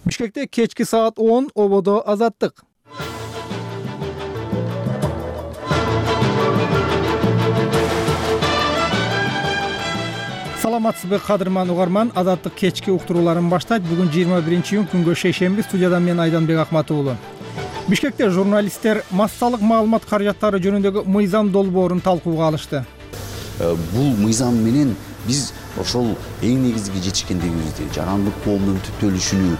Бишкекте кечки саат 10 ободо Азаттык. Саламатсызбы кадырман угарман, Азаттык кечки уктурууларын баштайт. Бүгүн 21-июнь күнгө шейшемби. Студияда мен Айданбек Акматов уулу. Бишкекте журналисттер массалык маалымат каражаттары жөнүндөгү мыйзам долбоорун талкууга алышты. Бул мыйзам менен биз ошол эң негизги жетишкендигибизди, жарандык коомдун түптөлүшүнү,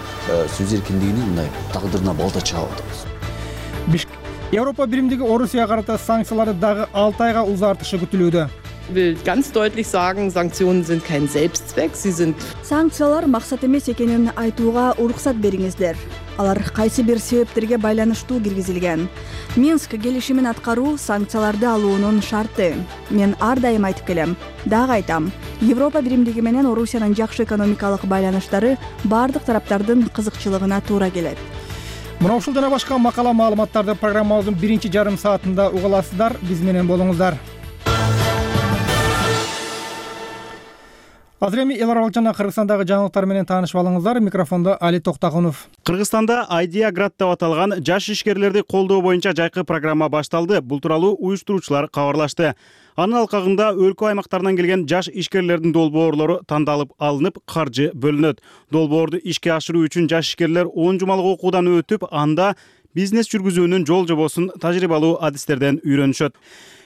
сөз эркиндигини мындай тагдырына балта чаап атабыз. Европа биримдиги Орусияга карата санкцияларды дагы 6 айга узартышы күтүлүүдө. Ich will ganz deutlich sagen, Sanktionen sind kein Selbstzweck, sie sind... Санкциялар максат эмес экенин айтууга уруксат бериңиздер. Алар кайсы бир себептерге байланыштуу киргизилген. Минск келишимин аткаруу санкцияларды алуунун шарты. Мен ар дайым айтып келем, дагы айтам. Европа биримдиги менен Орусиянын жакшы экономикалык байланыштары бардык тараптардын кызыкчылыгына туура келет. Мына ушул жана башка макала маалыматтарды программабыздын биринчи жарым саатында уга аласыздар. Биз менен болуңуздар. Азыр эми эл аралык жана Кыргызстандагы жаңылыктар менен таанышып алыңыздар. Микрофондо Али Токтакунов. Кыргызстанда Idea Grad деп аталган жаш ишкерлерди колдоо боюнча жайкы программа башталды. Бул тууралуу уюштуруучулар кабарлашты. Анын алкагында өлкө аймактарынан келген жаш ишкерлердин долбоорлору тандалып алынып, каржы бөлүнөт. Долбоорду ишке ашыруу үчүн жаш ишкерлер 10 жумалык окуудан өтүп, анда бизнес жүргүзүүнүн жол жобосун тажрыйбалуу адистерден үйрөнүшөт.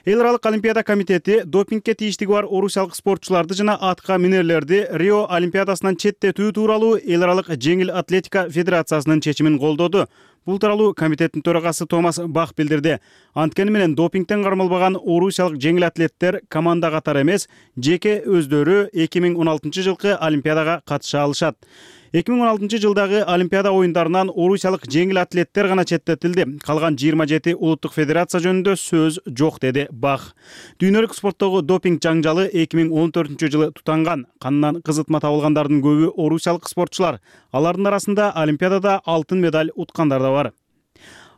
Эл аралык олимпиада комитети допингке тийиштиги бар орусиялык спортчуларды жана атка минерлерди Рио олимпиадасынан четтетүү тууралуу эл аралык жеңил атлетика федерациясынын чечимин колдоду. Бул тууралуу комитеттин төрагасы Томас Бах билдирди. Анткени менен допингден кармалбаган орусиялык жеңил атлеттер команда катары эмес, жеке өздөрү 2016 жылкы олимпиадага катыша алышат. 2016 жылдагы олимпиада оюндарынан орусиялык жеңил атлеттер гана четтетилди. Калган 27 улуттук федерация жөнүндө сөз жок, деди Бах. Дүйнөлүк спорттогу допинг жаңжалы 2014 жылы тутанган. Канынан кызытма табылгандардын көбү орусиялык спортчулар. Алардын арасында олимпиадада алтын медаль уткандар да бар.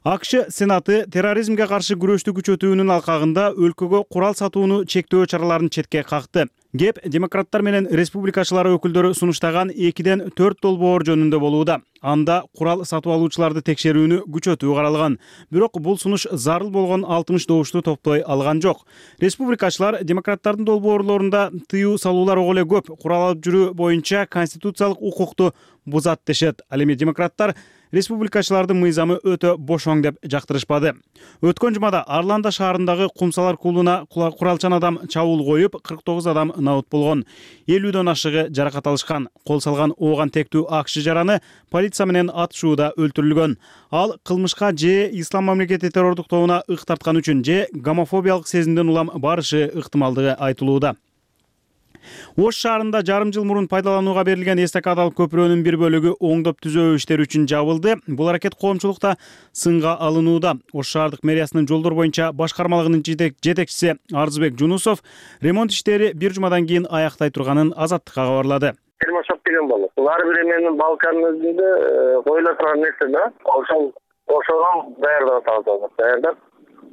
АКШ Сенаты терроризмге каршы күрөштү күчөтүүнүн алкагында өлкөгө курал сатууну чектөө чараларын четке какты. Кеп демократтар менен республикачылар өкүлдөрү сунуштаган 2-ден 4 долбоор жөнүндө болууда. Анда курал сатып алуучуларды текшерүүнү күчөтүү каралган. Бирок бул сунуш зарыл болгон 60 добушту топтой алган жок. Республикачылар демократтардын долбоорлорунда тыюу салуулар ого эле көп. Курал алып жүрүү боюнча конституциялык укукту бузат дешет. Ал эми демократтар республикачылардын мыйзамы өтө бошоң деп жактырышпады. Өткөн жумада Арланда шаарындагы Кумсалар клубуна куралчан адам чабуул коюп, 49 адам наут болгон. 50дөн ашыгы жаракат алышкан. Кол салган ооган тектүү АКШ жараны полиция менен атышууда өлтүрүлгөн. Ал кылмышка же ислам мамлекети террордук тобуна ык тарткан үчүн же гомофобиялык сезимден улам барышы ыктымалдыгы айтылууда. Ош шаарында жарым жыл мурун пайдаланууга берилген эстакадалык көпүрөнүн бир бөлүгү оңдоп түзөө иштери үчүн жабылды. Бул аракет коомчулукта сынга алынууда. Ош шаардык мэриясынын жолдор боюнча башкармалыгынын жетекчиси Арзыбек Жунусов ремонт иштери бир жумадан кийин аяктай турганын Азаттыкка кабарлады. Термошоп деген болот. Бул ар бир эменин балканын өзүндө коюла турган нерсе да. Ошону даярдап атабыз. Даярдап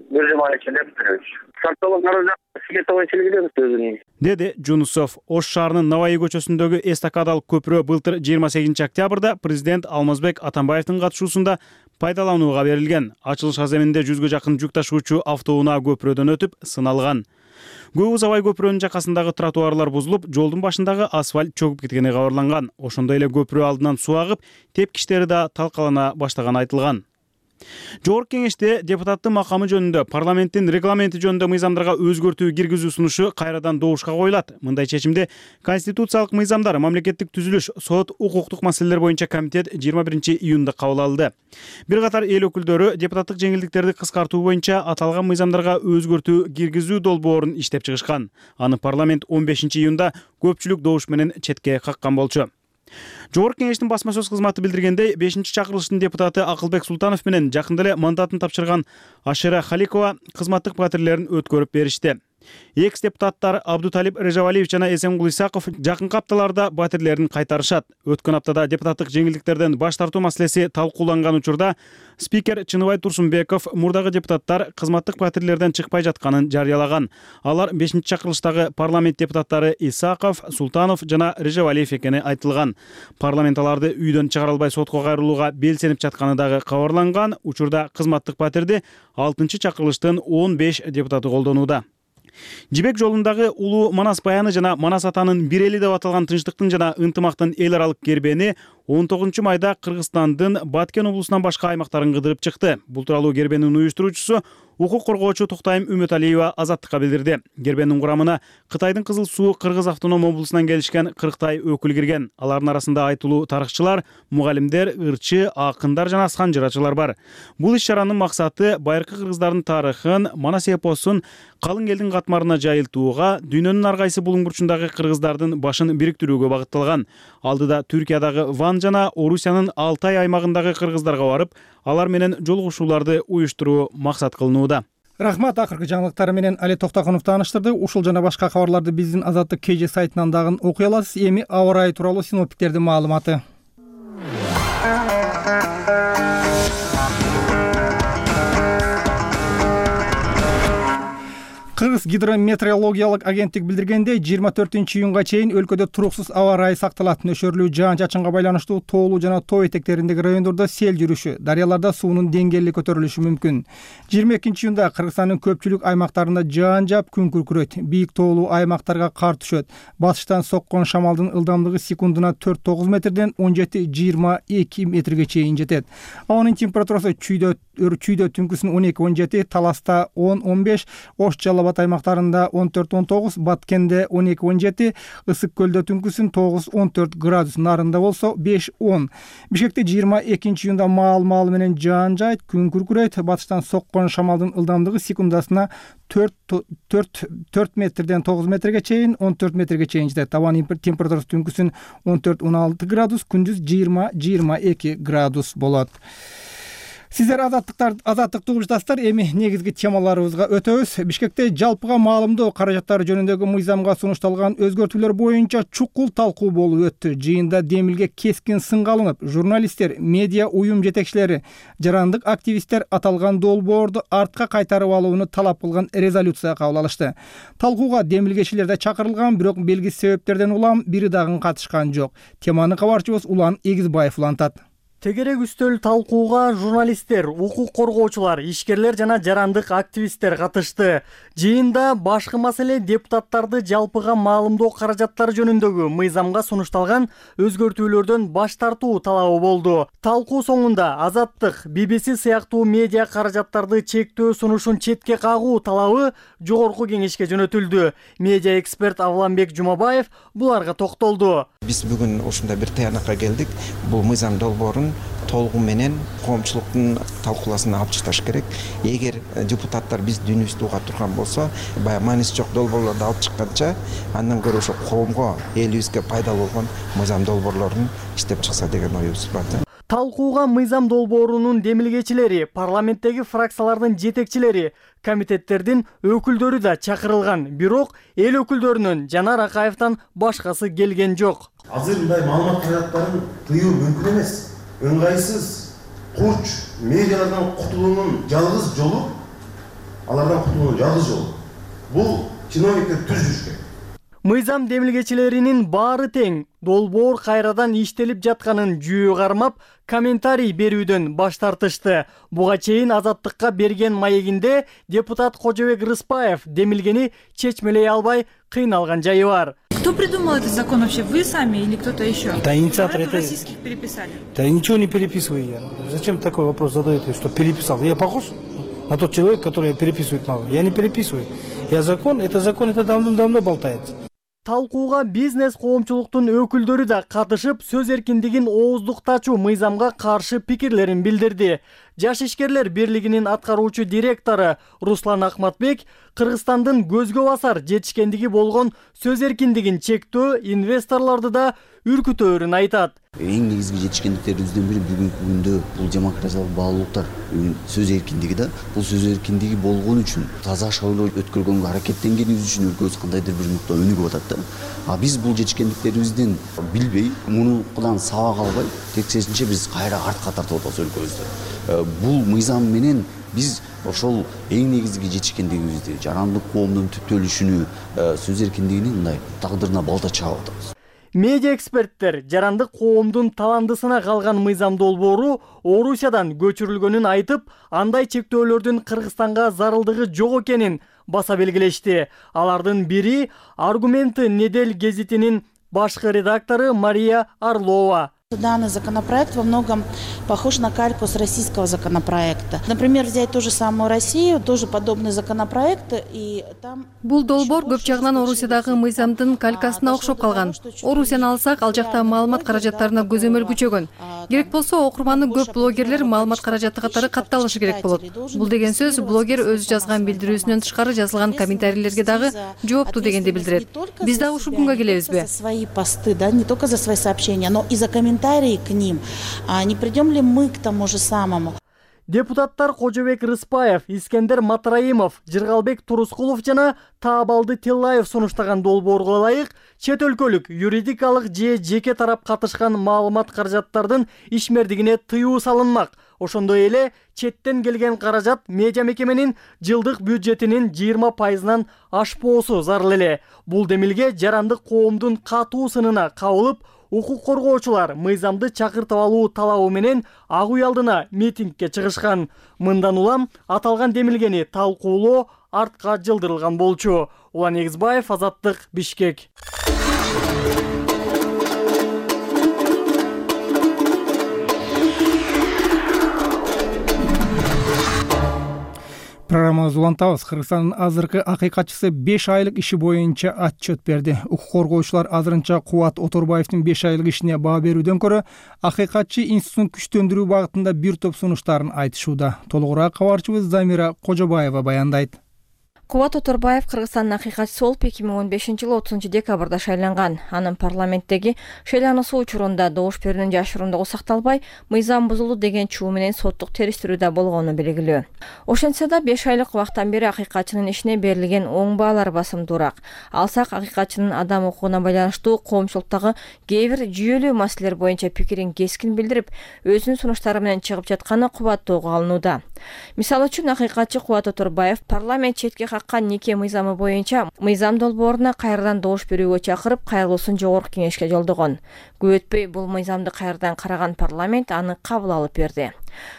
бир жума ичинде бүтүрөбүз. Сакталып каражат сметовый өзүнүн. Деди Жунусов. Ош шаарынын Наваи көчөсүндөгү эстакадалык көпүрө былтыр 28 октябрда президент Алмазбек Атамбаевдин катышуусунда пайдаланууга берилген. Ачылыш аземинде 100гө жакын жүк ташуучу автоунаа көпүрөдөн өтүп сыналган. Көп узабай көпүрөнүн жакасындагы тротуарлар бузулуп, жолдун башындагы асфальт чөгүп кеткени кабарланган. Ошондой эле көпүрө алдынан суу агып, тепкичтери да талкалана баштаганы айтылган. Жогорку кеңеште депутаттын макамы жөнүндө парламенттин регламенти жөнүндө мыйзамдарга өзгөртүү киргизүү сунушу кайрадан добушка коюлат. Мындай чечимди конституциялык мыйзамдар, мамлекеттик түзүлүш, сот, укуктук маселелер боюнча комитет 21-июнда кабыл алды. Бир катар эл өкүлдөрү депутаттык жеңилдиктерди кыскартуу боюнча аталган мыйзамдарга өзгөртүү киргизүү долбоорун иштеп чыгышкан. Аны парламент 15-июнда көпчүлүк добуш менен четке каккан болчу. Жогорку кеңештин басма сөз кызматы билдиргендей, 5-чакырылыштын депутаты Акылбек Султанов менен жакында эле мандатын тапшырган Ашера Халикова кызматтык патрулдерин өткөрүп беришти. Экс депутаттар Абдуталип Режавалиев жана Эсенгул Исаков жакынкы апталарда батирлерин кайтарышат. Өткөн аптада депутаттык жеңилдиктерден баш тартуу маселеси талкууланган учурда спикер Чыныбай Турсунбеков мурдагы депутаттар кызматтык батирлерден чыкпай жатканын жарыялаган. Алар 5-чакырылыштагы парламент депутаттары Исаков, Султанов жана Режавалиев экени айтылган. Парламент аларды үйдөн чыгара албай сотко кайрылууга белсенип жатканы дагы кабарланган. Учурда кызматтык батирди 6-чакырылыштын 15 депутаты колдонууда. Жибек жолундагы улуу Манас баяны жана Манас атанын бир эли деп аталган тынчтыктын жана ынтымактын эл аралык кербени 19-майда Кыргызстандын Баткен облусунан башка аймактарын кыдырып чыкты. Бул тууралуу кербенин уюштуруучусу укук коргоочу Токтайым Үмөталиева Азаттыкка билдирди. Кербенин курамына Кытайдын Кызыл Суу Кыргыз автоном облусунан келишкен 40 өкүл кирген. Алардын арасында айтылуу тарыхчылар, мугалимдер, ырчы, акындар жана асхан жырачылар бар. Бул иш-чаранын максаты байыркы кыргыздардын тарыхын, Манас эпосун калың элдин катмарына жайылтууга, дүйнөнүн ар кайсы булуң бурчундагы кыргыздардын башын бириктирүүгө багытталган. Алдыда Түркиядагы Ван жана Орусиянын Алтай аймагындагы кыргыздарга барып, алар менен жолугушууларды уюштуруу максат кылынууда. Рахмат, акыркы жаңылыктар менен Али Токтокунов тааныштырды. Ушул жана башка кабарларды биздин Азаттык KG сайтынан дагы окуй аласыз. Эми аба ырайы тууралуу синоптиктердин маалыматы. Кыргыз гидрометеорологиялык агенттик билдиргендей, 24-июнга чейин өлкөдө туруксуз аба ырайы сакталат. Нөшөрлүү жаан-чачынга байланыштуу тоолуу жана тоо этектериндеги райондордо сел жүрүшү, дарыяларда суунун деңгээли көтөрүлүшү мүмкүн. 22-июнда Кыргызстандын көпчүлүк аймактарында жаан жаап, күн күркүрөйт. Бийик тоолуу аймактарга кар түшөт. Батыштан соккон шамалдын ылдамдыгы секундуна 4-9 метрден 17-22 метрге чейин жетет. Абанын температурасы чүйдө түнкүсүн 12-17, Таласта 10-15, Ош Жалал аймактарында 14-19, Баткенде 12-17, Ысык көлдө түнкүсүн 9-14 градус, Нарында болсо 5-10. Бишкекте 22-июнда маал менен жаан жайт, күн күркүрөйт. Батыштан соккон шамалдын ылдамдыгы секундасына 4 метрден 9 метрге чейин, 14 метрге чейин жетет. Табан температурасы түнкүсүн 14-16 градус, күндүз 20-22 градус болот. Сиздер азаттыктуу угуштастар, эми негизги темаларыбызга өтөбүз. Бишкекте жалпыга маалымдоо каражаттары жөнүндөгү мыйзамга сунушталган өзгөртүүлөр боюнча чукул талкуу болуп өттү. Жыйында демилге кескин сынга алынып, журналисттер, медиа уюм жетекчилери, жарандык активисттер аталган долбоорду артка кайтарып алууну талап кылган резолюция кабыл алышты. Талкууга демилгечилер да чакырылган, бирок белгисиз себептерден улам бири дагы катышкан жок. Теманы кабарчыбыз Улан Эгизбаев улантат. Тегерек үстөл талкууга журналисттер, укук коргоочулар, ишкерлер жана жарандык активисттер катышты. Жыйында башкы маселе депутаттарды жалпыга маалымдоо каражаттары жөнүндөгү мыйзамга сунушталган өзгөртүүлөрдөн баш тартуу талабы болду. Талкуу соңунда Азаттык, BBC сыяктуу медиа каражаттарды чектөө сунушун четке кагуу талабы жогорку кеңешке жөнөтүлдү. Медиа эксперт Авламбек Жумабаев буларга токтолду. Биз бүгүн ушундай бир таянакка келдик. Бул мыйзам долбоорун толугу менен коомчулуктун талкууласына алып чыкташ керек. Эгер депутаттар биз дүйнөбүздү уга турган болсо, баягы мааниси жок долбоорлорду алып чыкканча, андан көрө ошо коомго, элибизге пайдалуу болгон мыйзам долбоорлорун иштеп чыкса деген оюбуз бар. Талкууга мыйзам долбоорунун демилгечилери, парламенттеги фракциялардын жетекчилери, комитеттердин өкүлдөрү да чакырылган. Бирок эл өкүлдөрүнөн Жанар Акаевтан башкасы келген жок. Азыр мындай маалымат каражаттарын тыюу мүмкүн эмес. Ыңгайсыз, курч медиалардан кутулуунун жалгыз жолу, алардан кутулуунун жалгыз жолу бул чиновниктер түз жүрүш керек. Мыйзам демилгечилеринин баары тең долбоор кайрадан иштелип жатканын жүйө кармап, комментарий берүүдөн баш тартышты. Буга чейин Азаттыкка берген маегинде депутат Кожобек Рыспаев демилгени чечмелей албай кыйналган жайы бар. Кто придумал этот закон вообще? Вы сами или кто-то еще? Да, инициатор это... российских переписали. Да ничего не переписываю я. Зачем такой вопрос задаете, что переписал? Я похож на тот человек, который переписывает мало? Я не переписываю. Я закон, это давно болтается. Талкууга бизнес коомчулуктун өкүлдөрү да катышып, сөз эркиндигин ооздуктачу мыйзамга каршы пикирлерин билдирди. Жаш ишкерлер бирлигинин аткаруучу директору Руслан Ахматбек Кыргызстандын көзгө басар жетишкендиги болгон сөз эркиндигин чектөө инвесторлорду да үркүтөөрүн айтат. Эң негизги жетишкендиктерибиздин бири бүгүнкү күндө бул демократиялык баалуулуктар, сөз эркиндиги да. Бул сөз эркиндиги болгон үчүн таза шайлоо өткөргөнгө аракеттенгенибиз үчүн өлкөбүз кандайдыр бир нукта өнүгүп атат да. А биз бул жетишкендиктерибизден билбей, мунудан сабак албай, тескерисинче биз кайра артка тартып атабыз өлкөбүздү. Бул мыйзам менен биз ошол эң негизги жетишкендигибизди, жарандык коомдун түптөлүшүнү, сөз эркиндигини мындай тагдырына балта чаап атабыз. Медиа эксперттер жарандык коомдун таландысына калган мыйзам долбоору Орусиядан көчүрүлгөнүн айтып, андай чектөөлөрдүн Кыргызстанга зарылдыгы жок экенин баса белгилешти. Алардын бири «Аргументы» Недель гезитинин башкы редактору Мария Орлова. Данный законопроект во многом похож на кальку с российского законопроекта. Например, взять ту же самую Россию, тоже подобные законопроекты, и там... Бул долбоор көп жагынан Орусиядагы мыйзамдын калькасына окшоп калган. Орусияны алсак, ал жакта маалымат каражаттарына көзөмөл күчөгөн. Керек болсо, окурманы көп блогерлер маалымат каражаты катары катталышы керек болот. Бул деген сөз, блогер өзү жазган билдирүүсүнөн тышкары жазылган комментарийлерге дагы жоопту дегенди билдирет. Биз дагы ушул күнгө келебизби? Свои посты, да, не только за свои сообщения, но и за комментарии к ним. Не придем ли мы к тому же самому? Депутаттар Кожобек Рыспаев, Искендер Матраимов, Жыргалбек Турускулов жана Таабалды Тиллаев сунуштаган долбоорго ылайык чет өлкөлүк юридикалык же жеке тарап катышкан маалымат каражаттардын ишмердигине тыюу салынмак. Ошондой эле четтен келген каражат медиа мекеменин жылдык бюджетинин 20%-нан ашпоосу зарыл эле. Бул демилге жарандык коомдун катуу сынына кабылып, укук коргоочулар мыйзамды чакыртып алуу талабы менен ак үй алдына митингге чыгышкан. Мындан улам аталган демилгени талкуулоо артка жылдырылган болчу. Улан Эгизбаев, Азаттык, Бишкек. Программабызды улантабыз. Кыргызстандын азыркы акыйкатчысы 5 айлык иши боюнча отчет берди. Укук коргоочулар азырынча Кубат Оторбаевдин 5 айлык ишине баа берүүдөн көрө акыйкатчы институтун күчтөндүрүү багытында бир топ сунуштарын айтышууда. Толугураак кабарчыбыз Замира Кожобаева баяндайт. Кубат Оторбаев Кыргызстандын акыйкатчысы болуп 2015-жылы 30 декабрда шайланган. Анын парламенттеги шайлануусу учурунда добуш берүүнүн жашырундугу сакталбай, мыйзам бузулду деген чуу менен соттук териштирүүдө болгону белгилүү. Ошентсе да 5 айлык убактан бери акыйкатчынын ишине берилген оң баалар басымдуураак. Алсак, акыйкатчынын адам укугуна байланыштуу коомчулуктагы кээ бир жүйөлүү маселелер боюнча пикирин кескин билдирип, өзүнүн сунуштары менен чыгып жатканы кубаттоого алынууда. Мисалы үчүн, акыйкатчы Кубат Оторбаев парламент четке каккан неке мыйзамы боюнча мыйзам долбооруна кайрадан добуш берүүгө чакырып, кайрылуусун жогорку кеңешке жолдогон. Көп өтпөй бул мыйзамды кайрадан караган парламент аны кабыл алып берди.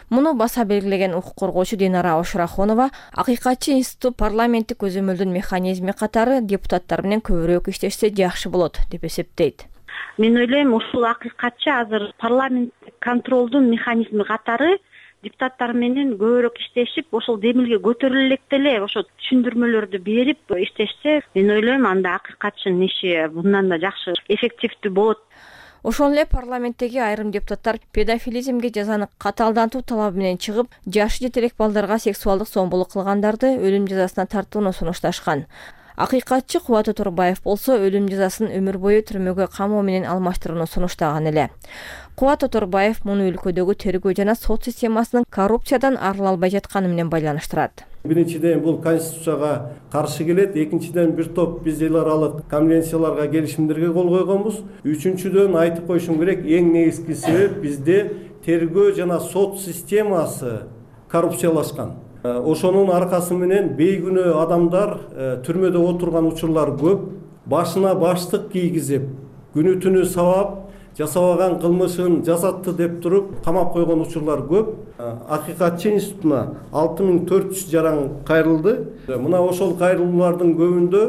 Муну баса белгилеген укук коргоочу Динара Ошурахонова акыйкатчы институт парламенттик көзөмөлдүн механизми катары депутаттар менен көбүрөөк иштешсе жакшы болот деп эсептейт. Мен ойлойм, ушул акыйкатчы азыр парламенттик контролдун механизми катары депутаттар менен көбүрөөк иштешип, ошол демилге көтөрүлө электе эле ошо түшүндүрмөлөрдү берип иштешсе, мен ойлойм, анда акыйкатчынын иши мындан да жакшы, эффективдүү болот. Ошол эле парламенттеги айрым депутаттар педофилизмге жазаны катаалдантуу талабы менен чыгып, жашы жете элек балдарга сексуалдык зомбулук кылгандарды өлүм жазасына тартууну сунушташкан. Акыйкатчы Кубат Оторбаев болсо өлүм жазасын өмүр бою түрмөгө камоо менен алмаштырууну сунуштаган эле. Кубат Оторбаев муну өлкөдөгү тергөө жана сот системасынын коррупциядан арыла албай жатканы менен байланыштырат. Биринчиден бул конституцияга каршы келет, экинчиден бир топ биз эл аралык конвенцияларга, келишимдерге кол койгонбуз. Үчүнчүдөн айтып коюшум керек, эң негизги себеп бизде тергөө жана сот системасы коррупциялашкан. Ошонун аркасы менен бейгүнөө адамдар түрмөдө отурган учурлар көп. Башына баштык кийгизип, күнү түнү сабап, жасабаган кылмышын жасатты деп туруп камап койгон учурлар көп. Акыйкатчы институтуна 6400 жаран кайрылды. Мына ошол кайрылуулардын көбүндө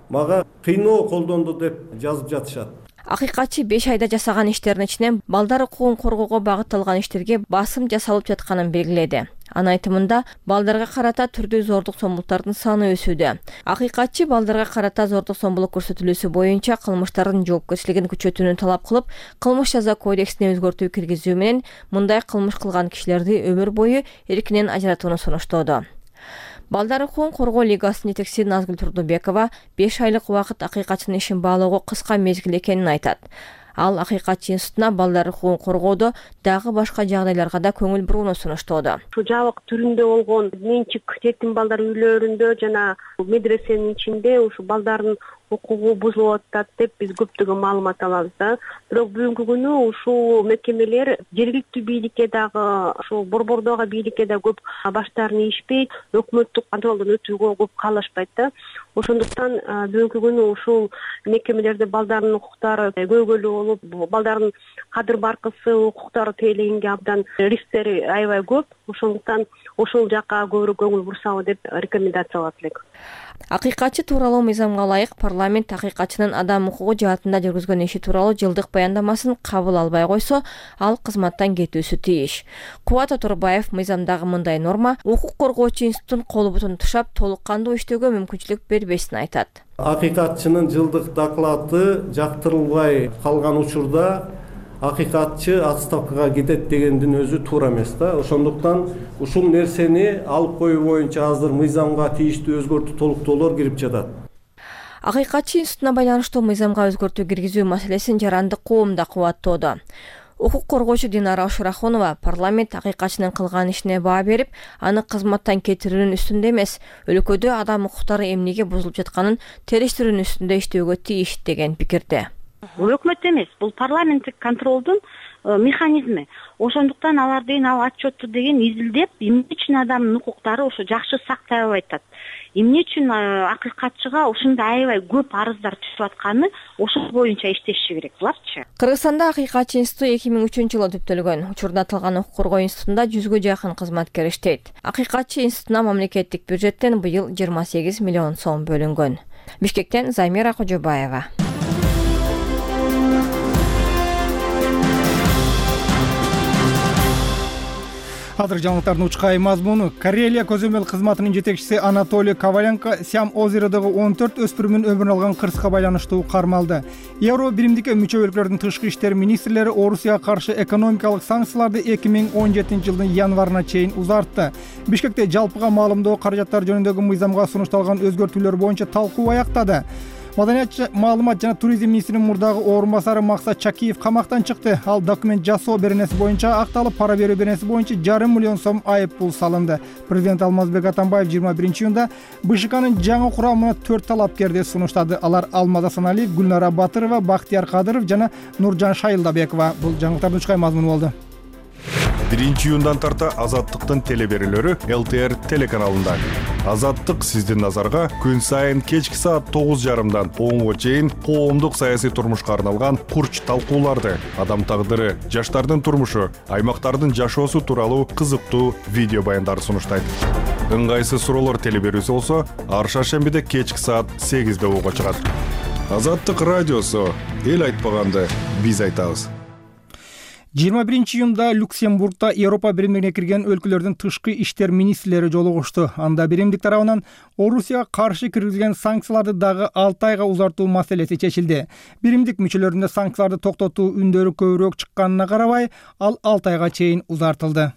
мага кыйноо колдонду деп жазып жатышат. Акыйкатчы 5 айда жасаган иштердин ичинен балдар укугун коргоого багытталган иштерге басым жасалып жатканын белгиледи. Анын айтымында, балдарга карата түрдүү зордук зомбулуктардын саны өсүүдө. Акыйкатчы балдарга карата зордук зомбулук көрсөтүлүүсү боюнча кылмыштардын жоопкерчилигин күчөтүүнү талап кылып, кылмыш жаза кодексине өзгөртүү киргизүү менен мындай кылмыш кылган кишилерди өмүр бою эркинен ажыратууну сунуштоодо. Балдар укугун коргоо лигасынын жетекчиси Назгүл Турдубекова 5 айлык убакыт акыйкатчынын ишин баалоого кыска мезгил экенин айтат. Ал Акыйкатчы институтуна балдар укугун коргоодо дагы башка жагдайларга да көңүл бурууну сунуштоодо. Ушу жабык түрүндө болгон менчик жетим балдар үйлөрүндө жана медресенин ичинде ушу балдардын укугу бузулуп атат деп биз көптөгөн маалымат алабыз да. Бирок бүгүнкү күнү ушул мекемелер жергиликтүү бийликке дагы, ушул борбордогу бийликке да көп баштарын ийишпейт, өкмөттүк контролдон өтүүгө көп каалашпайт да. Ошондуктан бүгүнкү күнү ушул мекемелерде балдардын укуктары көйгөйлүү болуп, балдардын кадыр баркысы, укуктары тейлегенге абдан рисктери аябай көп. Ошондуктан ошол жакка көбүрөөк көңүл бурсабы деп рекомендациялап элек. Акыйкатчы тууралуу мыйзамга ылайык парламент акыйкатчынын адам укугу жаатында жүргүзгөн иши тууралуу жылдык баяндамасын кабыл албай койсо, ал кызматтан кетүүсү тийиш. Кубат Оторбаев мыйзамдагы мындай норма укук коргоочу институттун колу бутун тушап, толук кандуу иштөөгө мүмкүнчүлүк бербесин айтат. Акыйкатчынын жылдык доклады жактырылбай калган учурда акыйкатчы отставкага кетет дегендин өзү туура эмес да. Ошондуктан ушул нерсени алып коюу боюнча азыр мыйзамга тийиштүү өзгөртүү толуктоолор кирип жатат. Акыйкатчы институтуна байланыштуу мыйзамга өзгөртүү киргизүү маселесин жарандык коом да кубаттоодо. Укук коргоочу Динара Ошурахунова парламент акыйкатчынын кылган ишине баа берип, аны кызматтан кетирүүнүн үстүндө эмес, өлкөдө адам укуктары эмнеге бузулуп жатканын териштирүүнүн үстүндө иштөөгө тийиш деген пикирде. Бул өкмөт эмес, бул парламенттик контролдун механизми. Ошондуктан алар деген ал отчетту деген изилдеп, эмне үчүн адамдын укуктары ошо жакшы сакталбай атат. Эмне үчүн акыйкатчыга ушундай аябай көп арыздар түшүп атканы ошол боюнча иштеши керек буларчы. Кыргызстанда Акыйкатчы институту 2003-жылы түптөлгөн. Учурда аталган укук коргоо институтунда 100гө жакын кызматкер иштейт. Акыйкатчы институтуна мамлекеттик бюджеттен быйыл 28 миллион сом бөлүнгөн. Бишкектен Замира Кожобаева. Азыр жаңылыктардын учкай мазмуну. Карелия көзөмөл кызматынын жетекчиси Анатолий Коваленко Сям озеродогу 14 өспүрүмүн өмүрүн алган кырсыка байланыштуу кармалды. Евро биримдикке мүчө өлкөлөрдүн тышкы иштер министрлери Орусияга каршы экономикалык санкцияларды 2017 жылдын январына чейин узартты. Бишкекте жалпыга маалымдоо каражаттары жөнүндөгү мыйзамга сунушталган өзгөртүүлөр боюнча талкуу аяктады. Маданият, маалымат жана туризм министринин мурдагы орун басары Максат Чакиев камактан чыкты. Ал документ жасоо беренеси боюнча акталып, пара берүү беренеси боюнча 5,5 миллион сом айып пул салынды. Президент Алмазбек Атамбаев 21-июнда БШКнын жаңы курамына 4 талапкерди сунуштады. Алар Алмаз Асаналиев, Гүлнара Батырова, Бактияр Кадыров жана Нуржан Шайылдабекова. Бул жаңылыктардын учкай мазмуну болду. 1-июндан тарта Азаттыктын телеберүүлөрү ЛТР телеканалында. Азаттык сиздин назарга күн сайын кечки саат 9:30дан 10:00 чейин коомдук саясий турмушка арналган курч талкууларды, адам тагдыры, жаштардын турмушу, аймактардын жашоосу тууралуу кызыктуу видео баяндарды сунуштайт. Ыңгайсыз суроолор телеберүүсү болсо, ар шаршембиде кечки саат 8:00 угууга чыгат. Азаттык радиосу эл айтпаганды биз айтабыз. 21-июнда Люксембургда Европа биримдигине кирген өлкөлөрдүн тышкы иштер министрлери жолугушту. Анда биримдик тарабынан Орусияга каршы киргизилген санкцияларды дагы 6 айга узартуу маселеси чечилди. Биримдик мүчөлөрүндө санкцияларды токтотуу үндөрү көбүрөөк чыкканына карабай, ал 6 айга чейин узартылды.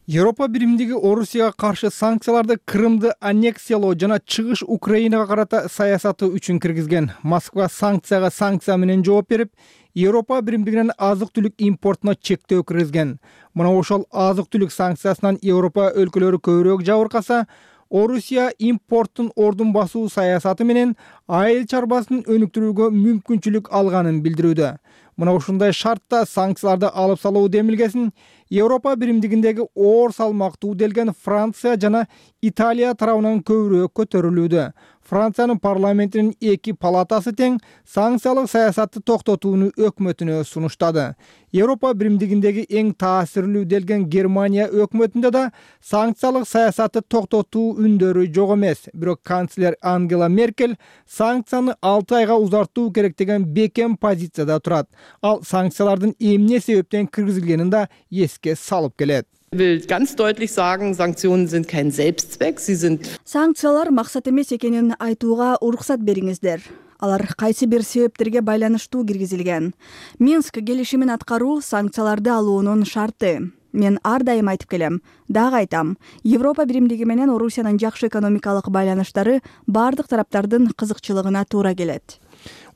Европа биримдиги Орусияга каршы санкцияларды Крымды аннексиялоо жана чыгыш Украинага карата саясаты үчүн киргизген. Москва санкцияга санкция менен жооп берип, Европа биримдигинен азык-түлүк импортуна чектөө киргизген. Мына ошол азык-түлүк санкциясынан Европа өлкөлөрү көбүрөөк жабыркаса, Орусия импорттун ордун басуу саясаты менен айыл чарбасын өнүктүрүүгө мүмкүнчүлүк алганын билдирүүдө. Мына ушундай шартта санкцияларды алып салуу демилгесин Европа биримдигиндеги оор салмактуу делген Франция жана Италия тарабынан көбүрөөк көтөрүлүүдө. Франциянын парламентинин 2 палатасы тең санкциялык саясатты токтотууну өкмөтүнө сунуштады. Европа биримдигиндеги эң таасирлүү делген Германия өкмөтүндө да санкциялык саясатты токтотуу үндөрү жок эмес. Бирок канцлер Ангела Меркель санкцияны 6 айга узартуу керек деген бекем позицияда турат. Ал санкциялардын эмне себептен киргизилгенин да эске салып келет. Ich will ganz deutlich sagen, Sanktionen sind kein Selbstzweck, sie sind Санкциялар максат эмес экенин айтууга уруксат бериңиздер. Алар кайсы бир себептерге байланыштуу киргизилген. Минск келишимин аткаруу санкцияларды алуунун шарты. Мен ар дайым айтып келем, дагы айтам. Европа биримдиги менен Орусиянын жакшы экономикалык байланыштары бардык тараптардын кызыкчылыгына туура келет.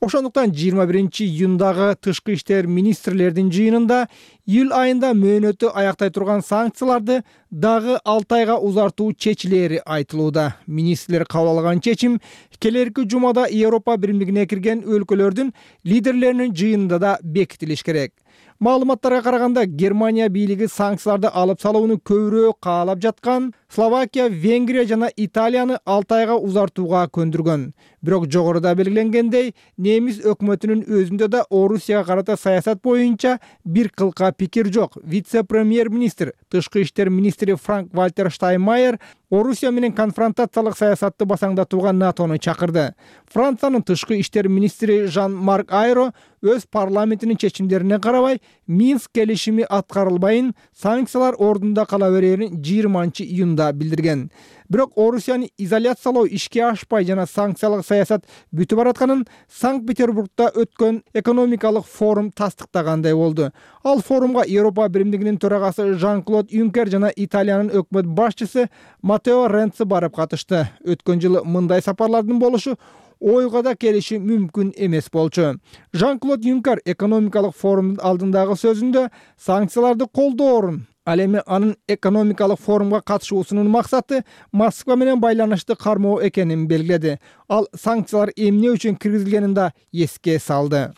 Ошондуктан 21-июндагы тышкы иштер министрлердин жыйынында июль айында мөөнөтү аяктай турган санкцияларды дагы 6 айга узартуу чечилери айтылууда. Министрлер кабыл алган чечим келерки жумада Европа биримдигине кирген өлкөлөрдүн лидерлеринин жыйынында да бекитилиш керек. Маалыматтарга караганда Германия бийлиги санкцияларды алып салууну көбүрөөк каалап жаткан Словакия, Венгрия жана Италияны 6 айга узартууга көндүргөн. Бирок жогоруда белгиленгендей, немис өкмөтүнүн өзүндө да Орусияга карата саясат боюнча бир кылка пикир жок. Вице-премьер-министр, тышкы иштер министри Франк-Вальтер Штайнмайер Орусия менен конфронтациялык саясатты басаңдатууга НАТОну чакырды. Франциянын тышкы иштер министри Жан-Марк Айро өз парламентинин чечимдерине карабай Минск келишими аткарылбайын, санкциялар ордунда кала берерин 20-июнда билдирген. Бирок Орусияны изоляциялоо ишке ашпай жана санкциялык саясат бүтүп баратканын Санкт-Петербургда өткөн экономикалык форум тастыктагандай болду. Ал форумга Европа биримдигинин төрагасы Жан-Клод Юнкер жана Италиянын өкмөт башчысы Матео Ренци барып катышты. Өткөн жылы мындай сапарлардын болушу ойго да келиши мүмкүн эмес болчу. Жан-Клод Юнкер экономикалык форумдун алдындагы сөзүндө санкцияларды колдоорун, ал эми анын экономикалык форумга катышуусунун максаты Москва менен байланышты кармоо экенин белгиледи. Ал санкциялар эмне үчүн киргизилгенин да эске салды.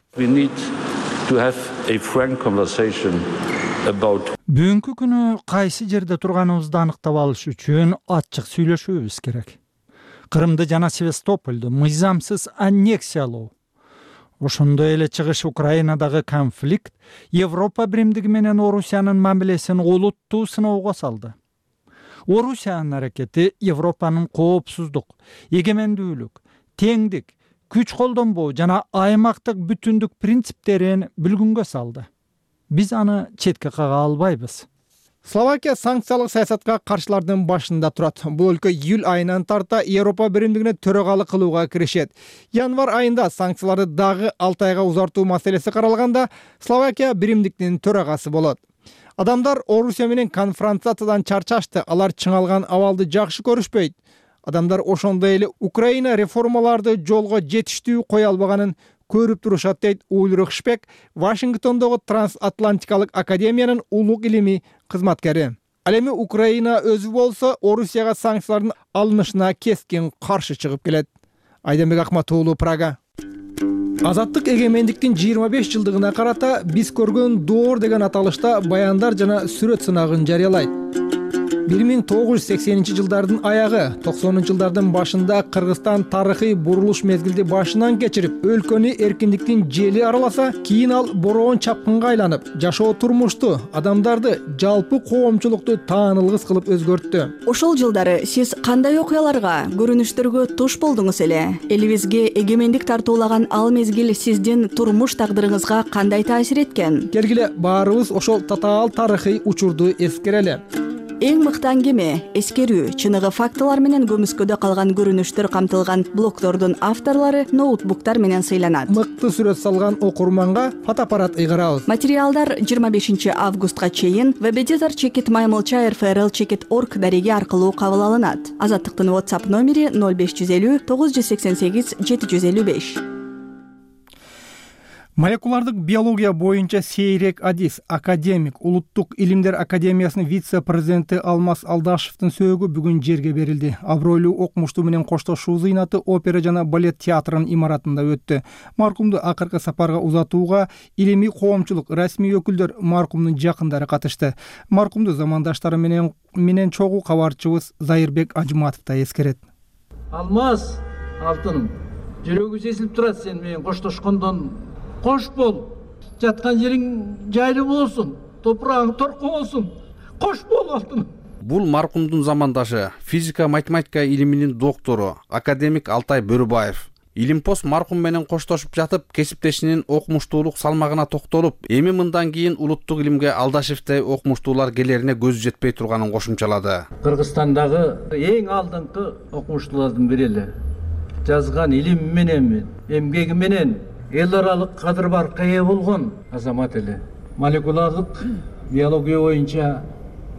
Бүгүнкү күнү кайсы жерде турганыбызды аныктап алыш үчүн ачык сүйлөшүүбүз керек. Кырымды жана Севастополду мыйзамсыз аннексиялоо, ошондой эле чыгыш Украинадагы конфликт Европа биримдиги менен Орусиянын мамилесин олуттуу сыноого салды. Орусиянын аракети Европанын коопсуздук, эгемендүүлүк, теңдик, күч колдонбоо жана аймактык бүтүндүк принциптерин бүлгүнгө салды. Биз аны четке кага албайбыз. Словакия санкциялык саясатка каршылардын башында турат. Бул өлкө июль айынан тарта Европа биримдигине төрагалык кылууга киришет. Январь айында санкцияларды дагы 6 айга узартуу маселеси каралганда Словакия биримдиктин төрагасы болот. Адамдар Орусия менен конфронтациядан чарчашты. Алар чыңалган абалды жакшы көрүшпөйт. Адамдар ошондой эле Украина реформаларды жолго жетиштүү кое албаганын көрүп турушат, дейт Ульрих Шпек, Вашингтондогу Трансатлантикалык академиянын улук илимий кызматкери. Ал эми Украина өзү болсо Орусияга санкциялардын алынышына кескин каршы чыгып келет. Айданбек Акматуулу, Прага. Азаттык эгемендиктин 25 жылдыгына карата биз көргөн доор деген аталышта баяндар жана сүрөт сынагын жарыялайт. 1980-жылдардын аягы, 90-жылдардын башында Кыргызстан тарыхый бурулуш мезгилди башынан кечирип, өлкөнү эркиндиктин жели араласа, кийин ал бороон чапкынга айланып, жашоо турмушту, адамдарды, жалпы коомчулукту таанылгыс кылып өзгөрттү. Ошол жылдары сиз кандай окуяларга, көрүнүштөргө туш болдуңуз эле? Элибизге эгемендик тартуулаган ал мезгил сиздин турмуш тагдырыңызга кандай таасир эткен? Келгиле баарыбыз ошол татаал тарыхый учурду эскерели. Эң мыкты аңгеме, эскерүү, чыныгы фактылар менен көмүскөдө калган көрүнүштөр камтылган блогтордун авторлору ноутбуктар менен сыйланат. Мыкты сүрөт салган окурманга фотоаппарат ыйгарабыз. Материалдар 25 августка чейин www.maymilcha.rfrl.org дареги аркылуу кабыл алынат. Азаттыктын WhatsApp номери 0550 988 755. Молекулардык биология боюнча Сейрек Адис, академик, Улуттук илимдер академиясынын вице-президенти Алмаз Алдашевдин сөөгү бүгүн жерге берилди. Абройлуу окумуштуу менен коштошуу зыйнаты опера жана балет театрынын имаратында өттү. Маркумду акыркы сапарга узатууга илимий коомчулук, расмий өкүлдөр, маркумдун жакындары катышты. Маркумду замандаштары менен чогуу кабарчыбыз Зайырбек Ажматов да эскерет. Алмаз, алтыным, жүрөгү сезилип турат сен менен коштошкондон. Кош бол, жаткан жериң жайлуу болсун, топурагың торко болсун. Кош бол, алтыным. Бул маркумдун замандашы, физика математика илиминин доктору, академик Алтай Бөрүбаев. Илимпоз маркум менен коштошуп жатып, кесиптешинин окумуштуулук салмагына токтолуп, эми мындан кийин улуттук илимге Алдашевдей окумуштуулар келерине көзү жетпей турганын кошумчалады. Кыргызстандагы эң алдыңкы окумуштуулардын бири эле. Жазган илими менен, эмгеги менен эл аралык кадыр баркка ээ болгон азамат эле. Молекулардык биология боюнча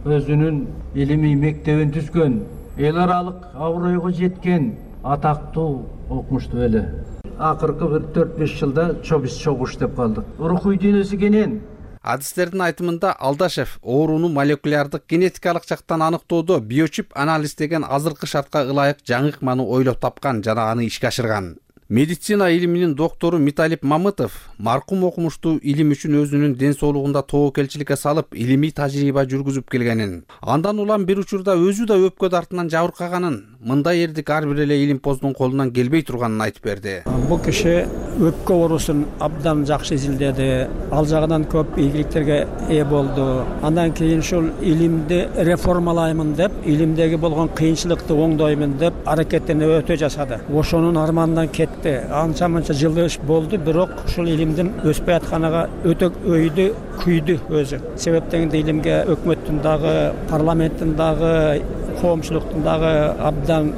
өзүнүн илимий мектебин түзгөн, эл аралык абройго жеткен атактуу окумуштуу эле. акыркы бир 4-5 жылда чобис чогуш деп калдык. Рухуй дүйнөсү кенен. Адистердин айтымында Алдашев ооруну молекулярдык генетикалык жактан аныктоодо биочип анализ деген азыркы шартка ылайык жаңы ыкманы ойлоп тапкан жана аны ишке ашырган. Медицина илиминин доктору Миталип Мамытов маркум окумуштуу илим үчүн өзүнүн ден соолугунда тобокелчиликке салып, илимий тажрыйба жүргүзүп келгенин, андан улам бир учурда өзү да өпкө дартынан жабыркаганын, мындай эрдик ар бир эле илимпоздун колунан келбей турганын айтып берди. Бул киши өпкө оорусун абдан жакшы изилдеди, ал жагынан көп ийгиликтерге ээ болду. Андан кийин ушул илимди реформалаймын деп, илимдеги болгон кыйынчылыкты оңдоймун деп аракеттенип өтө жашады. Ошонун арманынан кетти. Анча мынча жылы иш болду, бирок ушул илимдин өспөй атканага өтө өйдү, күйдү өзү. Себептен илимге өкмөттүн дагы, парламенттин дагы, коомчулуктун дагы абдан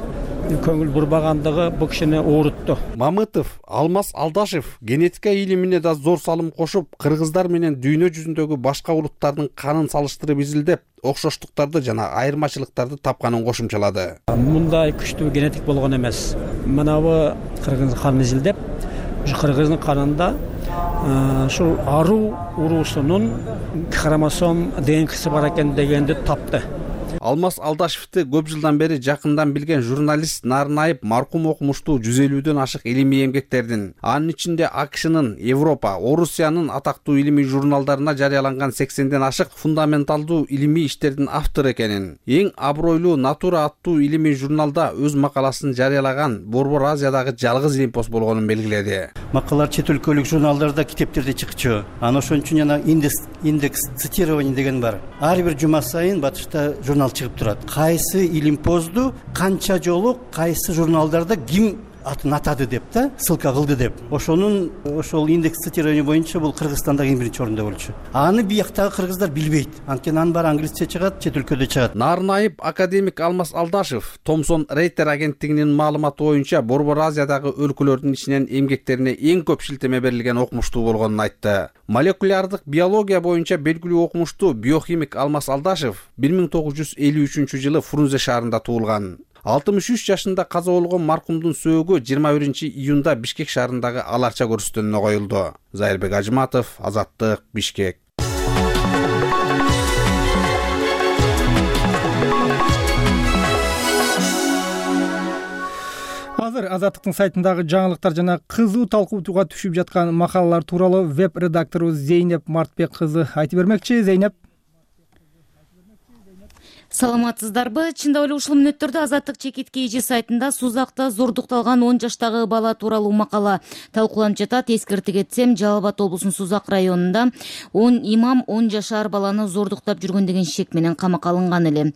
көңүл бурбагандыгы бул кишини оорутту. Мамытов Алмаз Алдашев генетика илимине да зор салым кошуп, кыргыздар менен дүйнө жүзүндөгү башка улуттардын канын салыштырып изилдеп, окшоштуктарды жана айырмачылыктарды тапканын кошумчалады. Мындай күчтүү генетик болгон эмес. Мынабы кыргыз канын изилдеп, ушу кыргыздын канында ушул аруу уруусунун хромосом ДНКсы бар экен дегенди тапты. Алмаз Алдашевти көп жылдан бери жакындан билген журналист Нарынаев маркум окумуштуу 150дөн ашык илимий эмгектердин, анын ичинде АКШнын, Европа, Орусиянын атактуу илимий журналдарына жарыяланган 80ден ашык фундаменталдуу илимий иштердин автору экенин, эң абройлуу Натура аттуу илимий журналда өз макаласын жарыялаган Борбор Азиядагы жалгыз илимпоз болгонун белгиледи. Макалалар чет өлкөлүк журналдарда, китептерде чыкчу. Анан ошон үчүн жана индекс цитирования деген бар. Ар бир жума сайын батышта журнал чыгып турат. Кайсы илимпозду канча жолу кайсы журналдарда ким атын атады деп да, ссылка кылды деп. Ошол индекс цитирования боюнча бул Кыргызстанда эң биринчи орунда болчу. Аны бияктагы кыргыздар билбейт. Анткени анын баары англисче чыгат, чет өлкөдө чыгат. Нарынаев академик Алмаз Алдашев Thomson Reuters агенттигинин маалыматы боюнча Борбор Азиядагы өлкөлөрдүн ичинен эмгектерине эң көп шилтеме берилген окумуштуу болгонун айтты. Молекулярдык биология боюнча белгилүү окумуштуу биохимик Алмаз Алдашев 1953 Фрунзе шаарында туулган. 63 жашында каза болгон маркумдун сөөгү 21 июнда Бишкек шаарындагы Аларча көрүстөнүнө коюлду. Зайырбек Ажыматов, Азаттык, Бишкек. Азыр Азаттыктын сайтындагы жаңылыктар жана кызуу талкууга түшүп жаткан макалалар тууралуу веб-редактору Зейнеп Мартбек кызы айтып бермекчи. Зейнеп. Саламатсыздарбы? Чындап эле ушул мүнөттөрдө Азаттык чекитке эже сайтында сузакта зордукталган 10 жаштагы бала тууралуу макала талкууланып жатат. Эскерте кетсем, Жалал Абад облусунун Сузак районунда 10 имам 10 жашар баланы зордуктап жүргөн деген шек менен камакка алынган эле.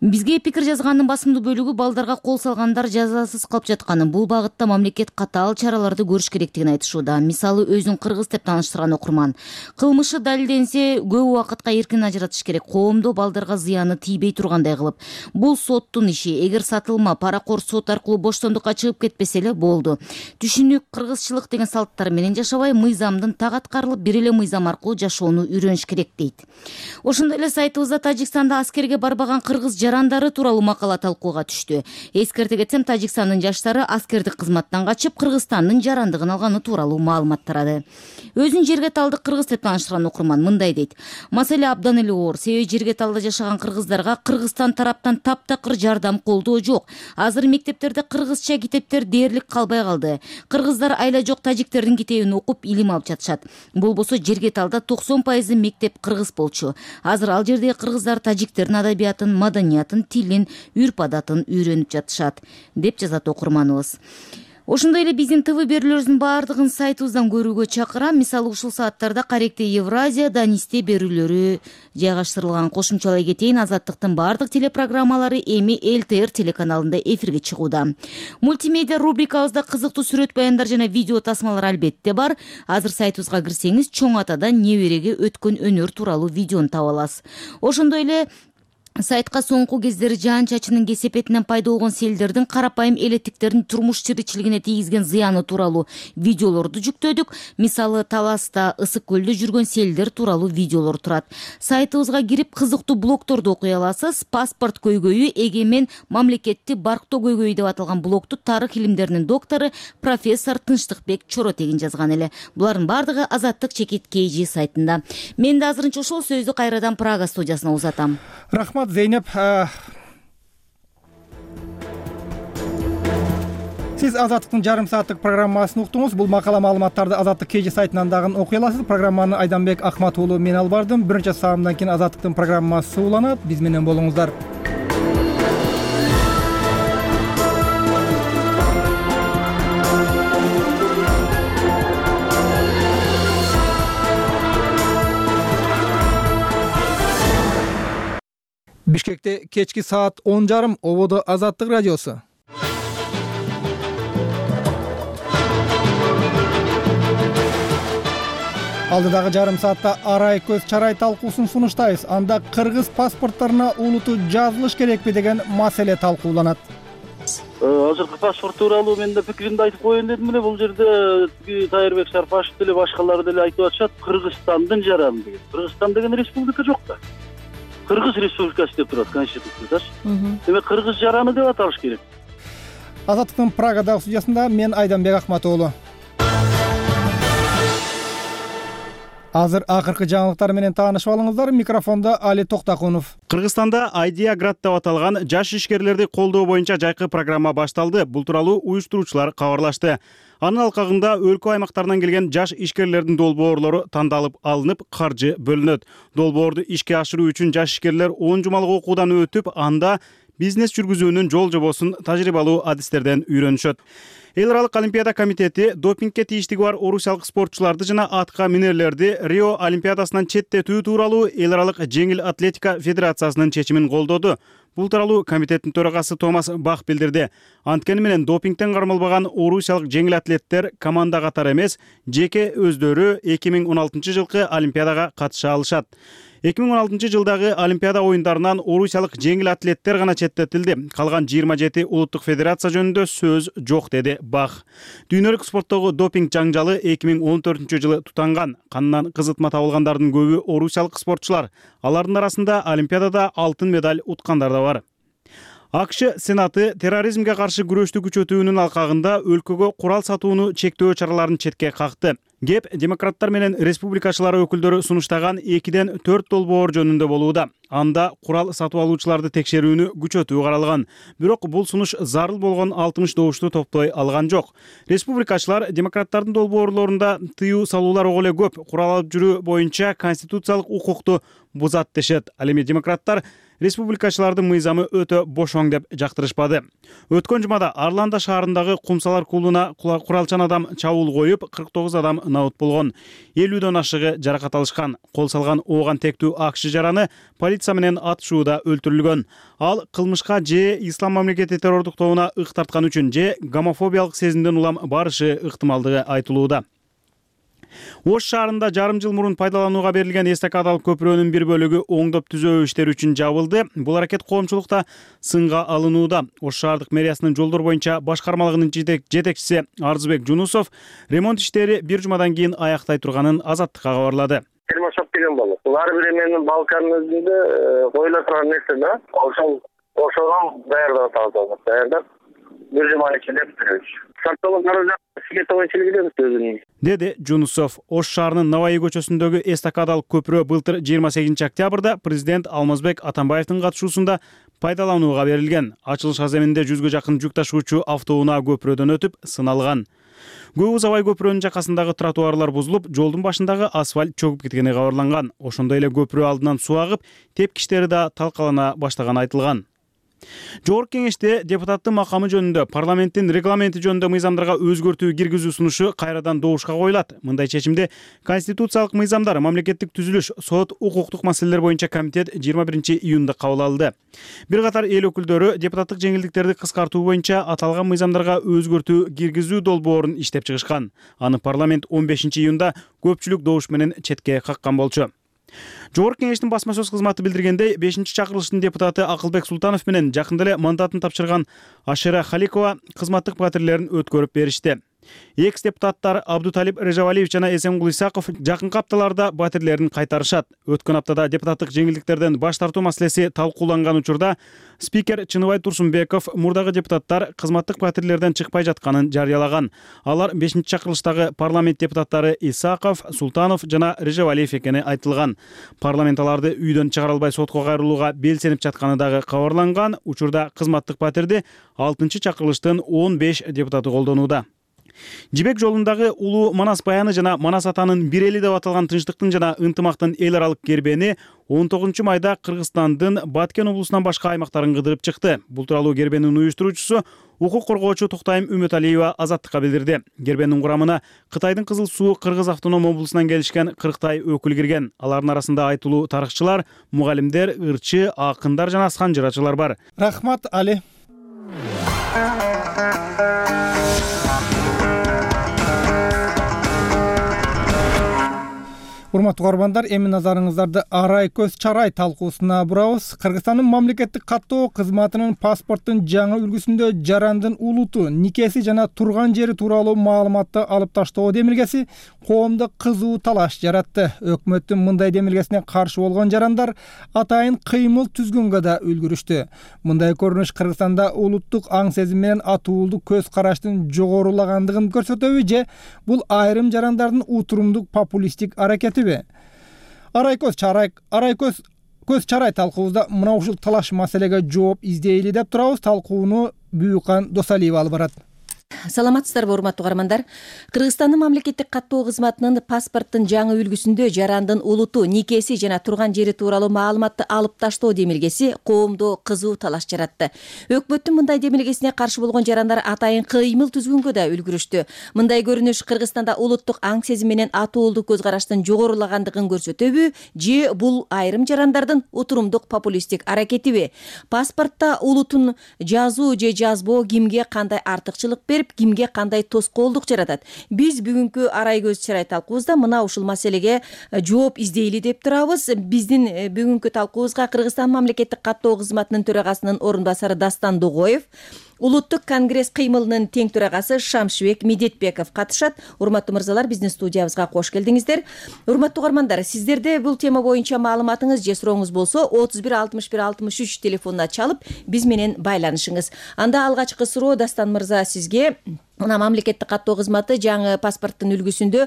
Бизге пикир жазганын басымдуу бөлүгү балдарга кол салгандар жазасыз калып жатканын, бул багытта мамлекет катаал чараларды көрүш керектигин айтышууда. Мисалы, өзүн кыргыз деп тааныштырган окурман. Кылмышы далилденсе, көп убакытка эркин ажыратыш керек. Коомдо балдарга зыяны тийбей тургандай кылып. Бул соттун иши. Эгер сатылма, паракор сот аркылуу боштондукка чыгып кетпесе эле болду. Түшүнүк, кыргызчылык деген салттар менен жашабай, мыйзамдын так аткарылып, бир эле мыйзам аркылуу жашоону үйрөнүш керек дейт. Ошондой эле сайтыбызда Тажикстанда аскерге барбаган кыргыз жарандары тууралуу макала талкууга түштү. Эскерте кетсем, Тажикстандын жаштары аскердик кызматтан качып, Кыргызстандын жарандыгын алганы тууралуу маалымат тарады. Өзүн жерге талдык кыргыз деп тааныштырган окурман мындай дейт. Маселе абдан эле оор. Себеби жерге талда жашаган кыргыздарга Кыргызстан тараптан таптакыр жардам, колдоо жок. Азыр мектептерде кыргызча китептер дээрлик калбай калды. Кыргыздар айла жок тажиктердин китебин окуп илим алып жатышат. Болбосо жерге талда 90% мектеп кыргыз болчу. Азыр ал жердеги кыргыздар тажиктердин адабиятын, маданиятын, тилин, үрп-адатын үйрөнүп жатышат, деп жазат окурманыбыз. Ошондой эле биздин ТВ берүүлөрүбүздүн баардыгын сайтыбыздан көрүүгө чакырам. Мисалы, ушул сааттарда Каректе Евразия, Данисте берүүлөрү жайгаштырылган. Кошумчалай кетейин, Азаттыктын баардык телепрограммалары эми ЛТР телеканалында эфирге чыгууда. Мультимедиа рубрикабызда кызыктуу сүрөт баяндар жана видео тасмалар албетте бар. Азыр сайтыбызга кирсеңиз, чоң атадан небереге өткөн өнөр тууралуу видеону таба аласыз. Ошондой эле Сайтка соңку кездери жаан чачынын кесепетинен пайда болгон селдердин карапайым элеттиктердин турмуш тиричилигине тийгизген зыяны тууралуу видеолорду жүктөдүк. Мисалы, Таласта, Ысык көлдө жүргөн селдер тууралуу видеолор турат. Сайтыбызга кирип кызыктуу блогторду окуй аласыз. Паспорт көйгөйү, эгемен мамлекетти барктоо көйгөйү деп аталган блогту тарых илимдеринин доктору профессор Тынчтыкбек Чоротегин жазган эле. Булардын бардыгы Азаттык чекит KG сайтында. Мен да азырынча ошол сөздү кайрадан Прага студиясына узатам. Рахмат, Зейнеп. Сиз Азаттыктын жарым сааттык программасын уктуңуз. Бул макала маалыматтарды Азаттык KG сайтынан дагы окуй аласыз. Программаны Айданбек Акмат уулу мен алып бардым. Бир нече саамдан кийин Азаттыктын программасы уланат. Биз менен болуңуздар. Бишкекте кечки саат 10:30 ободо Азаттык радиосу. Алдыдагы жарым саатта арай көз чарай талкуусун сунуштайбыз. Анда кыргыз паспортторуна улуту жазылыш керекпи деген маселе талкууланат. Азыркы паспорт тууралуу мен да пикиримди айтып коеюн дедим эле. Бул жерде Тайырбек Сарпашев деле башкалар деле айтып атышат, Кыргызстандын жараны деген. Кыргызстан деген республика жок да. Кыргыз республикасы деп турат конституциядачы. Демек кыргыз жараны деп аталыш керек. Азаттыктын Прагадагы студиясында мен Айданбек Акмат уулу. Азыр акыркы жаңылыктар менен таанышып алыңыздар. Микрофонда Али Токтакунов. Кыргызстанда Айдия Град деп аталган жаш ишкерлерди колдоо боюнча жайкы программа башталды. Бул тууралуу уюштуруучулар кабарлашты. Анын алкагында өлкө аймактарынан келген жаш ишкерлердин долбоорлору тандалып алынып, каржы бөлүнөт. Долбоорду ишке ашыруу үчүн жаш ишкерлер 10 жумалык окуудан өтүп, анда бизнес жүргүзүүнүн жол жобосун тажрыйбалуу адистерден үйрөнүшөт. Эл аралык олимпиада комитети допингке тийиштиги бар орусиялык спортчуларды жана атка минерлерди Рио олимпиадасынан четтетүү тууралуу эл аралык жеңил атлетика федерациясынын чечимин колдоду. Бул тууралуу комитеттин төрагасы Томас Бах билдирди. Анткени менен допингден кармалбаган орусиялык жеңил атлеттер команда катары эмес, жеке өздөрү 2016 жылкы олимпиадага катыша алышат. 2016 жылдагы олимпиада оюндарынан орусиялык жеңил атлеттер гана четтетилди. Калган 27 улуттук федерация жөнүндө сөз жок, деди Бах. Дүйнөлүк спорттогу допинг жаңжалы 2014 жылы тутанган. Канынан кызытма табылгандардын көбү орусиялык спортчулар. Алардын арасында олимпиадада алтын медаль уткандар да бар. АКШ Сенаты терроризмге каршы күрөштү күчөтүүнүн алкагында өлкөгө курал сатууну чектөө чараларын четке какты. Кеп демократтар менен республикачылар өкүлдөрү сунуштаган 2-ден 4 долбоор жөнүндө болууда. Анда курал сатып алуучуларды текшерүүнү күчөтүү каралган. Бирок бул сунуш зарыл болгон 60 добушту топтой алган жок. Республикачылар демократтардын долбоорлорунда тыюу салуулар ого эле көп. Курал алып жүрүү боюнча конституциялык укукту бузат дешет. Ал эми демократтар республикачылардын мыйзамы өтө бошоң деп жактырышпады. Өткөн жумада Арланда шаарындагы Кумсалар клубуна куралчан адам чабуул коюп, 49 адам наут болгон. 50дөн ашыгы жаракат алышкан. Кол салган ооган тектүү АКШ жараны полиция менен атышууда өлтүрүлгөн. Ал кылмышка же ислам мамлекети террордук тобуна ык тарткан үчүн же гомофобиялык сезимден улам барышы ыктымалдыгы айтылууда. Ош шаарында жарым жыл мурун пайдаланууга берилген эстакадалык көпүрөнүн бир бөлүгү оңдоп түзөө иштери үчүн жабылды. Бул аракет коомчулукта сынга алынууда. Ош шаардык мэриясынын жолдор боюнча башкармалыгынын жетекчиси Арзыбек Жунусов ремонт иштери бир жумадан кийин аяктай турганын Азаттыкка кабарлады. Термошоп деген болот. Бул ар бир эменин балканын өзүндө коюла турган нерсе да. Ошого даярдап атабыз. Даярдап бир жума ичинде бүтүрөбүз. Сартылык каражат сметовый чилгидебиз өзүнүн. Деди Жунусов. Ош шаарынын Наваи көчөсүндөгү эстакадалык көпүрө былтыр 28 октябрда президент Алмазбек Атамбаевдин катышуусунда пайдаланууга берилген. Ачылыш аземинде 100гө жакын жүк ташуучу автоунаа көпүрөдөн өтүп сыналган. Көп узабай көпүрөнүн жакасындагы тротуарлар бузулуп, жолдун башындагы асфальт чөгүп кеткени кабарланган. Ошондой эле көпүрө алдынан суу агып, тепкичтери да талкалана баштаганы айтылган. Жогорку кеңеште депутаттын макамы жөнүндө парламенттин регламенти жөнүндө мыйзамдарга өзгөртүү киргизүү сунушу кайрадан добушка коюлат. Мындай чечимди Конституциялык мыйзамдар, мамлекеттик түзүлүш, сот, укуктук маселелер боюнча комитет 21 июнда кабыл алды. Бир катар эл өкүлдөрү депутаттык жеңилдиктерди кыскартуу боюнча аталган мыйзамдарга өзгөртүү киргизүү долбоорун иштеп чыгышкан. Аны парламент 15 июнда көпчүлүк добуш менен четке каккан болчу. Жогорку кеңештин басма сөз кызматы билдиргендей, 5-чакырылыштын депутаты Акылбек Султанов менен жакында эле мандатын тапшырган Ашера Халикова кызматтык батирлерин өткөрүп беришти. Экс депутаттар Абдуталип Режавалиев жана Эсенгул Исаков жакынкы апталарда батирлерин кайтарышат. Өткөн аптада депутаттык жеңилдиктерден баш тартуу маселеси талкууланган учурда спикер Чыныбай Турсунбеков мурдагы депутаттар кызматтык батирлерден чыкпай жатканын жарыялаган. Алар 5-чакырылыштагы парламент депутаттары Исаков, Султанов жана Режавалиев экени айтылган. Парламент аларды үйдөн чыгара албай сотко кайрылууга белсенип жатканы дагы кабарланган. Учурда кызматтык батирди 6-чакырылыштын 15 депутаты колдонууда. Жибек жолундагы улуу Манас баяны жана Манас атанын бир эли деп аталган тынчтыктын жана ынтымактын эл аралык кербени 19-майда Кыргызстандын Баткен облусунан башка аймактарын кыдырып чыкты. Бул тууралуу кербенин уюштуруучусу укук коргоочу Токтайым Үмөталиева Азаттыкка билдирди. Кербенин курамына Кытайдын Кызыл Суу Кыргыз автоном облусунан келишкен 40 өкүл кирген. Алардын арасында айтылуу тарыхчылар, мугалимдер, ырчы, акындар жана асхан жырачылар бар. Рахмат Али. Урматтуу көрөрмандар, эми назарыңыздарды Арай көз чарай талкуусуна бурабыз. Кыргызстандын мамлекеттик каттоо кызматынын паспорттун жаңы үлгүсүндө жарандын улуту, никеси жана турган жери тууралуу маалыматты алып таштоо демилгеси коомдо кызуу талаш жаратты. Өкмөттүн мындай демилгесине каршы болгон жарандар атайын кыймыл түзгөнгө да үлгүрүштү. Мындай көрүнүш Кыргызстанда улуттук аң сезим менен атуулдук көз караштын жогорулагандыгын көрсөтөбү же бул айрым жарандардын утурумдук популисттик аракети? Арай көз чарай талкуубузда мына ушул талаш маселеге жооп издейли деп турабыз. Талкууну Бүйүкан Досалиева алып барат. Саламатсыздарбы, урматтуу каармандар. Кыргызстандын мамлекеттик каттоо кызматынын паспорттун жаңы үлгүсүндө жарандын улуту, никеси жана турган жери тууралуу маалыматты алып таштоо демилгеси коомдо кызуу талаш жаратты. Өкмөттүн мындай демилгесине каршы болгон жарандар атайын кыймыл түзгөнгө да үлгүрүштү. Мындай көрүнүш Кыргызстанда улуттук аң сезим менен атуулдук көз караштын жогорулагандыгын көрсөтөбү же бул айрым жарандардын утурумдук популисттик аракетиби? Паспортто улутун жазуу же жазбоо кимге кандай артыкчылык берип, кимге кандай тоскоолдук жаратат? Биз бүгүнкү Арай көз чарай талкуубузда мына ушул маселеге жооп издейли деп турабыз. Биздин бүгүнкү талкуубузга Кыргызстан мамлекеттик каттоо кызматынын төрагасынын орун басары Дастан Дугоев, Улуттук конгресс кыймылынын тең төрагасы Шамшыбек Медетбеков катышат. Урматтуу мырзалар, биздин студиябызга кош келдиңиздер. Урматтуу көрөрмандар, сиздерде бул тема боюнча маалыматыңыз же сурооңуз болсо 31 61 63 телефонуна чалып биз менен байланышыңыз. Анда алгачкы суроо Дастан мырза сизге. Мына мамлекеттик каттоо кызматы жаңы паспорттун үлгүсүндө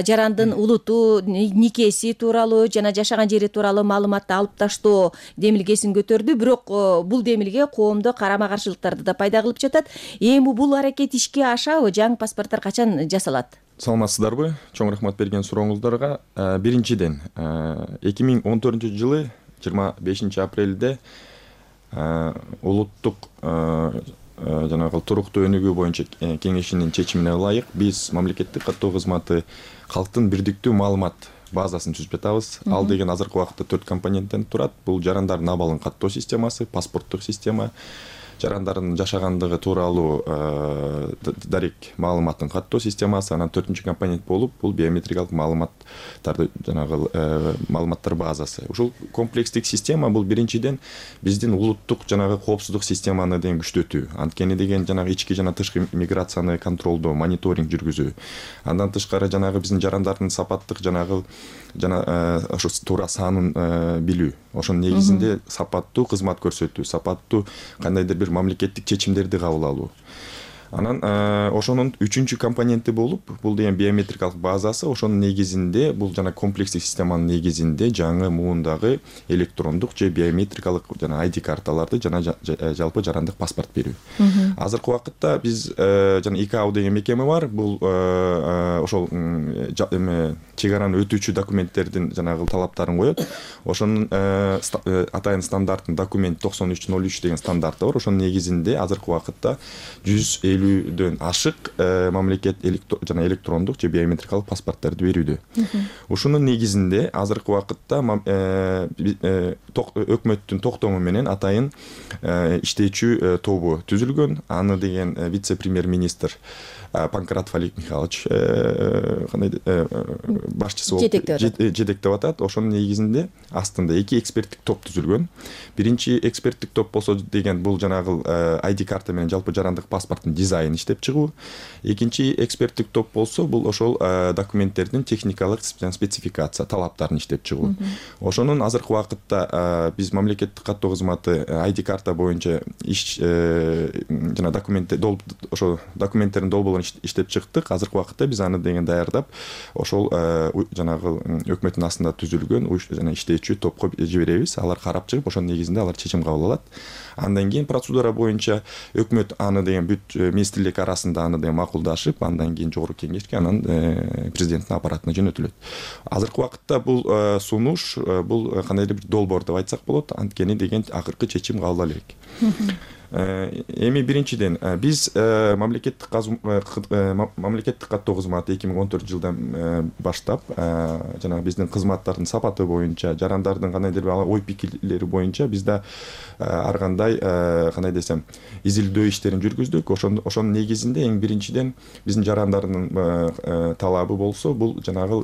жарандын улуту, никеси тууралуу жана жашаган жери тууралуу маалыматты алып таштоо демилгесин көтөрдү. Бирок бул демилге коомдо карама каршылыктарды да пайда кылып жатат. Эми бул аракет ишке ашабы? Жаңы паспорттор качан жасалат? Саламатсыздарбы? Чоң рахмат берген сурооңуздарга. Биринчиден 2014 жылы 25 апрелде улуттук жанагы туруктуу өнүгүү боюнча кеңешинин чечимине ылайык биз мамлекеттик каттоо кызматы калктын бирдиктүү маалымат базасын түзүп жатабыз. Ал деген азыркы убакытта 4 компоненттен турат. Бул жарандардын абалын каттоо системасы, паспорттук система, жарандардын жашагандыгы тууралуу дарек маалыматтын каттоо системасы, анан 4-чү компонент болуп бул биометрикалык маалыматтарды жанагы маалыматтар базасы. Ушул комплекстик система бул биринчиден биздин улуттук жанагы коопсуздук системаны деген күчтөтүү. Анткени деген жанагы ички жана тышкы миграцияны контролдоо, мониторинг жүргүзүү. Андан тышкары жанагы биздин жарандардын сапаттык жанагы ошо туура санын билүү. Ошонун негизинде сапаттуу кызмат көрсөтүү, сапаттуу кандайдыр бир мамлекеттик чечимдерди кабыл алуу. Анан ошонун 3-чү компоненти болуп, бул деген биометрикалык базасы. Ошонун негизинде бул жана комплекстик системанын негизинде жаңы муундагы электрондук же биометрикалык жана ID карталарды жана жалпы жарандык паспорт берүү. Азыркы убакытта биз жана ИКАО деген мекеме бар. Бул ошол чегараны өтүүчү документтердин жанагы талаптарын коет. Ошонун атайын стандарттын документ 9303 деген стандарты бар. Ошонун негизинде азыркы убакытта 150 элүүдөн ашык мамлекет жана электрондук же биометрикалык паспорттарды берүүдө. Ушунун негизинде азыркы убакытта өкмөттүн токтому менен атайын иштечү тобу түзүлгөн. Аны деген вице-премьер-министр Панкратов Олег Михайлович башчысы болуп жетектеп атат. Ошонун негизинде астында 2 эксперттик топ түзүлгөн. Биринчи эксперттик топ болсо деген бул жанагы ID карта менен жалпы жарандык паспорттун дизайнын иштеп чыгуу. Экинчи эксперттик топ болсо бул ошол документтердин техникалык спецификация талаптарын иштеп чыгуу. Ошонун азыркы убакытта биз мамлекеттик каттоо кызматы ID карта боюнча иш жана ошо документтердин долбоорун иштеп чыктык. Азыркы убакытта биз аны деген даярдап ошол жанагы өкмөттүн астында түзүлгөн жана иштечү топко жиберебиз. Алар карап чыгып ошонун негизинде алар чечим кабыл алат. Андан кийин процедура боюнча өкмөт аны деген бүт министрлик арасында аны деген макулдашып, андан кийин жогорку кеңешке, анан президенттин аппаратына жөнөтүлөт. Азыркы убакытта бул сунуш, бул кандайдыр бир долбоор деп айтсак болот, анткени деген акыркы чечим кабыл алып элек. Эми биринчиден биз мамлекеттик каттоо кызматы 2014 жылдан баштап жана биздин кызматтардын сапаты боюнча, жарандардын кандайдыр бир ой пикирлери боюнча бизде ар кандай кандай десем изилдөө иштерин жүргүздүк. Ошонун негизинде эң биринчиден биздин жарандардын талабы болсо бул жанагы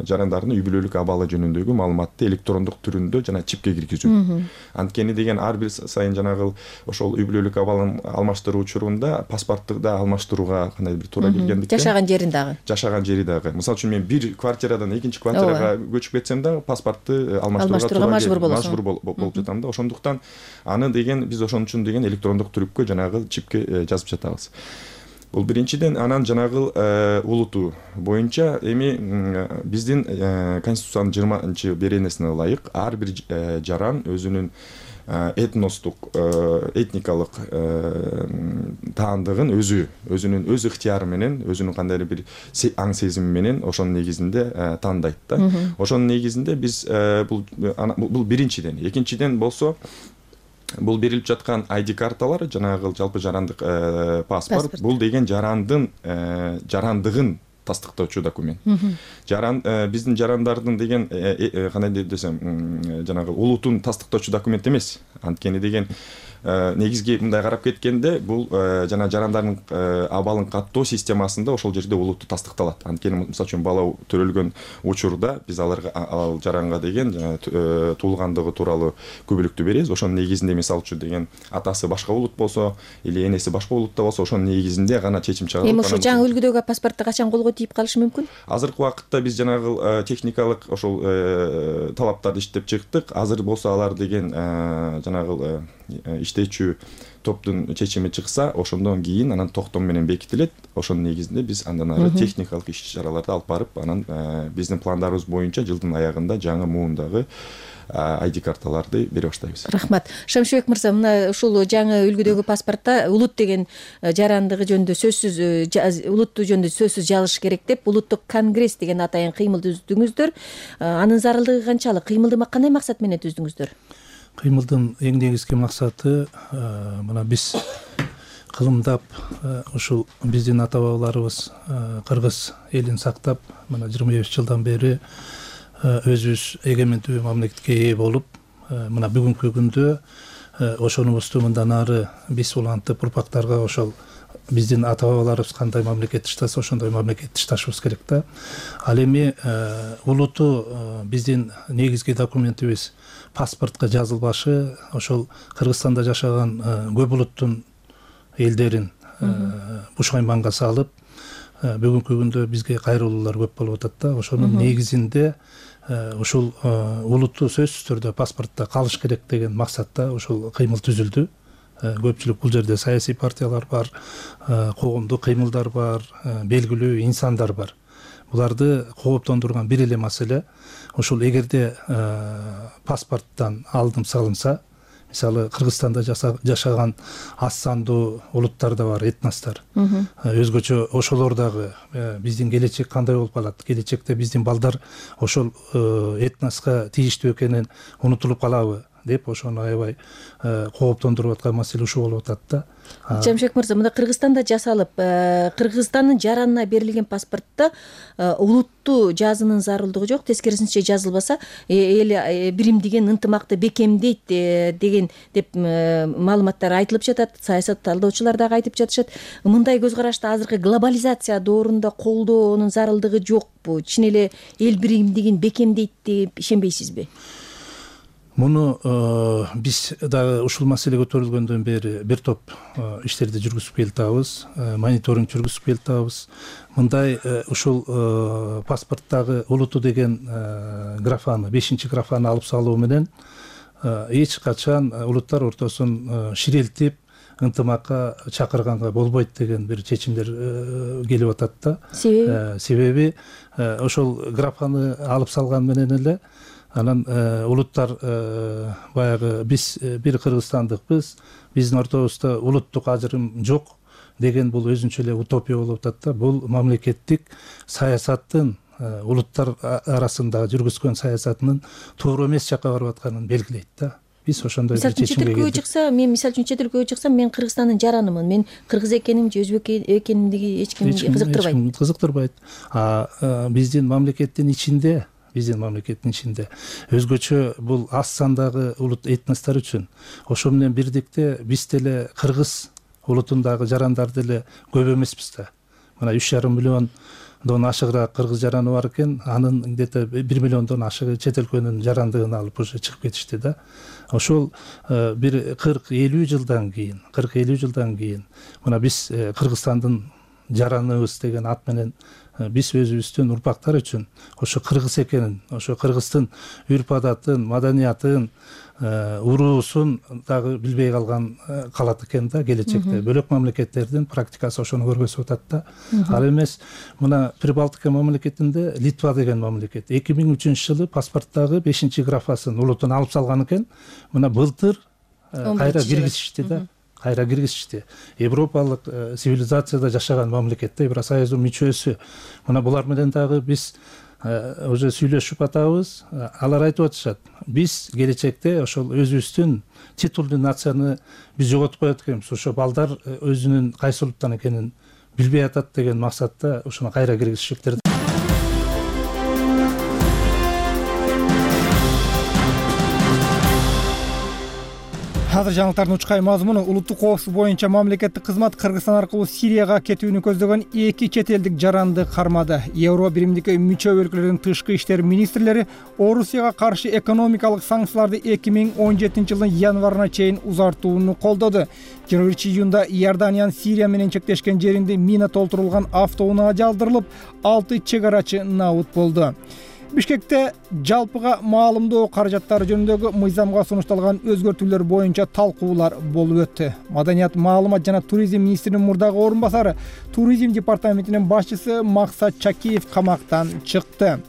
жарандардын үй бүлөлүк абалы жөнүндөгү маалыматты электрондук түрүндө жана чипке киргизүү. Анткени деген ар бир сайын жанагы ошол үй бүлөлүк абалын алмаштыруу учурунда паспортту да алмаштырууга кандай бир туура келгендиктен жашаган жери дагы. Мисалы үчүн мен бир квартирадан экинчи квартирага көчүп кетсем дагы паспортту алмаштырууга мажбур болуп жатам да. Ошондуктан аны деген биз ошон үчүн деген электрондук түрүпкө жанагы чипке жазып жатабыз. Бул биринчиден. Анан жанагы улуту боюнча эми биздин Конституциянын 20-беренесине ылайык ар бир жаран өзүнүн этностук, этникалык таандыгын өзүнүн өз ыктыяры менен, өзүнүн кандайдыр бир аң сезими менен ошонун негизинде тандайт да. Ошонун негизинде биз бул биринчиден. Экинчиден болсо бул берилип жаткан ID карталар жанагы жалпы жарандык паспорт, бул деген жарандыгын тастыктоочу документ. Биздин жарандардын деген кандай десем жанагы улутун тастыктоочу документ эмес. Анткени деген негизги мындай карап кеткенде бул жана жарандардын абалын каттоо системасында ошол жерде улутту тастыкталат. Анткени мисалы үчүн бала төрөлгөн учурда биз ал жаранга деген туулгандыгы тууралуу күбөлүктү беребиз. Ошонун негизинде мисалы үчүн деген атасы башка улут болсо или энеси башка улутта болсо ошонун негизинде гана чечим чыгарылат. Эми ошо жаңы үлгүдөгү паспортто качан колго тийип калышы мүмкүн? Азыркы убакытта биз жанагы техникалык ошол талаптарды иштеп чыктык. Азыр болсо алар деген жанагы иштечү топтун чечими чыкса, ошондон кийин анан токтом менен бекитилет. Ошонун негизинде биз андан ары техникалык иш-чараларды алып барып, анан биздин пландарыбыз боюнча жылдын аягында жаңы муундагы ID карталарды бере баштайбыз. Рахмат. Шамшыбек мырза, мына ушул жаңы үлгүдөгү паспортто улут деген жарандыгы жөнүндө сөзсүз, улутту жөнүндө сөзсүз жазыш керек деп улуттук конгресс деген атайын кыймыл түздүңүздөр. Анын зарылдыгы канчалык? Кыймылды кандай максат менен түздүңүздөр? Кыймылдын эң негизги максаты мына биз кылымдап ушул биздин ата бабаларыбыз кыргыз элин сактап мына 25 жылдан бери өзүбүз эгемендүү мамлекетке ээ болуп, мына бүгүнкү күндө ошонубузду мындан ары биз улантып урпактарга ошол биздин ата бабаларыбыз кандай мамлекет иштаса ошондой мамлекет ишташыбыз керек да. Ал эми улуту биздин негизги документибиз паспортко жазылбашы ошол Кыргызстанда жашаган көп улуттун элдерин бушайманга салып, бүгүнкү күндө бизге кайрылуулар көп болуп атат да. Ошонун негизинде ушул улутту сөзсүз түрдө паспортто калыш керек деген максатта ушул кыймыл түзүлдү. Көпчүлүк бул жерде саясий партиялар бар, коомдук кыймылдар бар, белгилүү инсандар бар. Буларды кооптондурган бир эле маселе ушул эгерде паспорттан алдым салынса, мисалы Кыргызстанда жашаган аз сандуу улуттар да бар, этностор. Өзгөчө ошолор дагы биздин келечек кандай болуп калат? Келечекте биздин балдар ошол этноска тийиштүү экенин унутулуп калабы? деп ошону аябай кооптондуруп аткан маселе ушул болуп атат да. Жамшек мырза, мында Кыргызстанда жасалып, Кыргызстандын жаранына берилген паспортто улуттуу жазуунун зарылдыгы жок, тескерисинче жазылбаса эл биримдигин ынтымакты бекемдейт деген деп маалыматтар айтылып жатат. Саясат талдоочулар дагы айтып жатышат. Мындай көз карашты азыркы глобализация доорунда колдоонун зарылдыгы жокпу? Чын эле эл биримдигин бекемдейт деп ишенбейсизби? Муну биз дагы ушул маселе көтөрүлгөндөн бери бир топ иштерди жүргүзүп келатабыз, мониторинг жүргүзүп келатабыз. Мындай ушул паспорттагы улуту деген графаны, 5-графаны алып салуу менен эч качан улуттар ортосун ширелтип ынтымакка чакырганга болбойт деген бир чечимдер келип атат да. Себеби ошол графаны алып салган менен эле анан улуттар баягы биз бир кыргызстандыкпыз, биздин ортобузда улуттук ажырым жок деген бул өзүнчө эле утопия болуп атат да. Бул мамлекеттик саясаттын улуттар арасында жүргүзгөн саясатынын туура эмес жакка барып атканын белгилейт да. Биз ошондой бир чечимге келдик. Мисалы үчүн чет өлкөгө чыксам, мен Кыргызстандын жаранымын. Мен кыргыз экеним же өзбек экенимдиги эч кимди кызыктырбайт. Кызыктырбайт. Биздин мамлекеттин ичинде өзгөчө бул аз сандагы улут этностор үчүн ошо менен бирдикте биз деле кыргыз улутундагы жарандар деле көп эмеспиз да. Мына 3,5 миллиондон ашыгыраак кыргыз жараны бар экен, анын где-то 1 миллиондон ашыгы чет өлкөнүн жарандыгын алып уже чыгып кетишти да. Ошол бир 40-50 жылдан кийин мына биз Кыргызстандын жараныбыз деген ат менен биз өзүбүздүн урпактар үчүн ошо кыргыз экенин, ошо кыргыздын үрп адатын, маданиятын, уруусун дагы билбей калат экен да келечекте. Бөлөк мамлекеттердин практикасы ошону көргөзүп атат да. Ал эмес мына Прибалтика мамлекетинде Литва деген мамлекет 2003 жылы паспорттагы 5-графасын улутун алып салган экен. Мына былтыр кайра киргизишти да. Европалык цивилизацияда жашаган мамлекетте Евросоюздун мүчөсү. Мына булар менен дагы биз уже сүйлөшүп атабыз. Алар айтып атышат. Биз келечекте ошол өзүбүздүн титулдуу нацияны биз жоготуп коет экенбиз. Ошо балдар өзүнүн кайсы улуттан экенин билбей атат деген максатта ошону кайра киргизишиптир. Азыр жаңылыктардын учкай мазмуну улуттук коопсуздук боюнча мамлекеттик кызмат Кыргызстан аркылуу Сирияга кетүүнү көздөгөн 2 чет элдик жаранды кармады. Евро биримдикке мүчө өлкөлөрдүн тышкы иштер министрлери Орусияга каршы экономикалык санкцияларды 2017 жылдын январына чейин узартууну колдоду. 21-июнда Иорданиянын Сирия менен чектешкен жеринде мина толтурулган автоунаа жалтырылып, 6 чек арачы набут болду. Бишкекте жалпыга маалымдоо каражаттары жөнүндөгү мыйзамга сунушталган өзгөртүүлөр боюнча талкуулар болуп өттү. Маданият, маалымат жана туризм министринин мурдагы орун басары, туризм департаментинин башчысы Максат Чакиев камактан чыкты.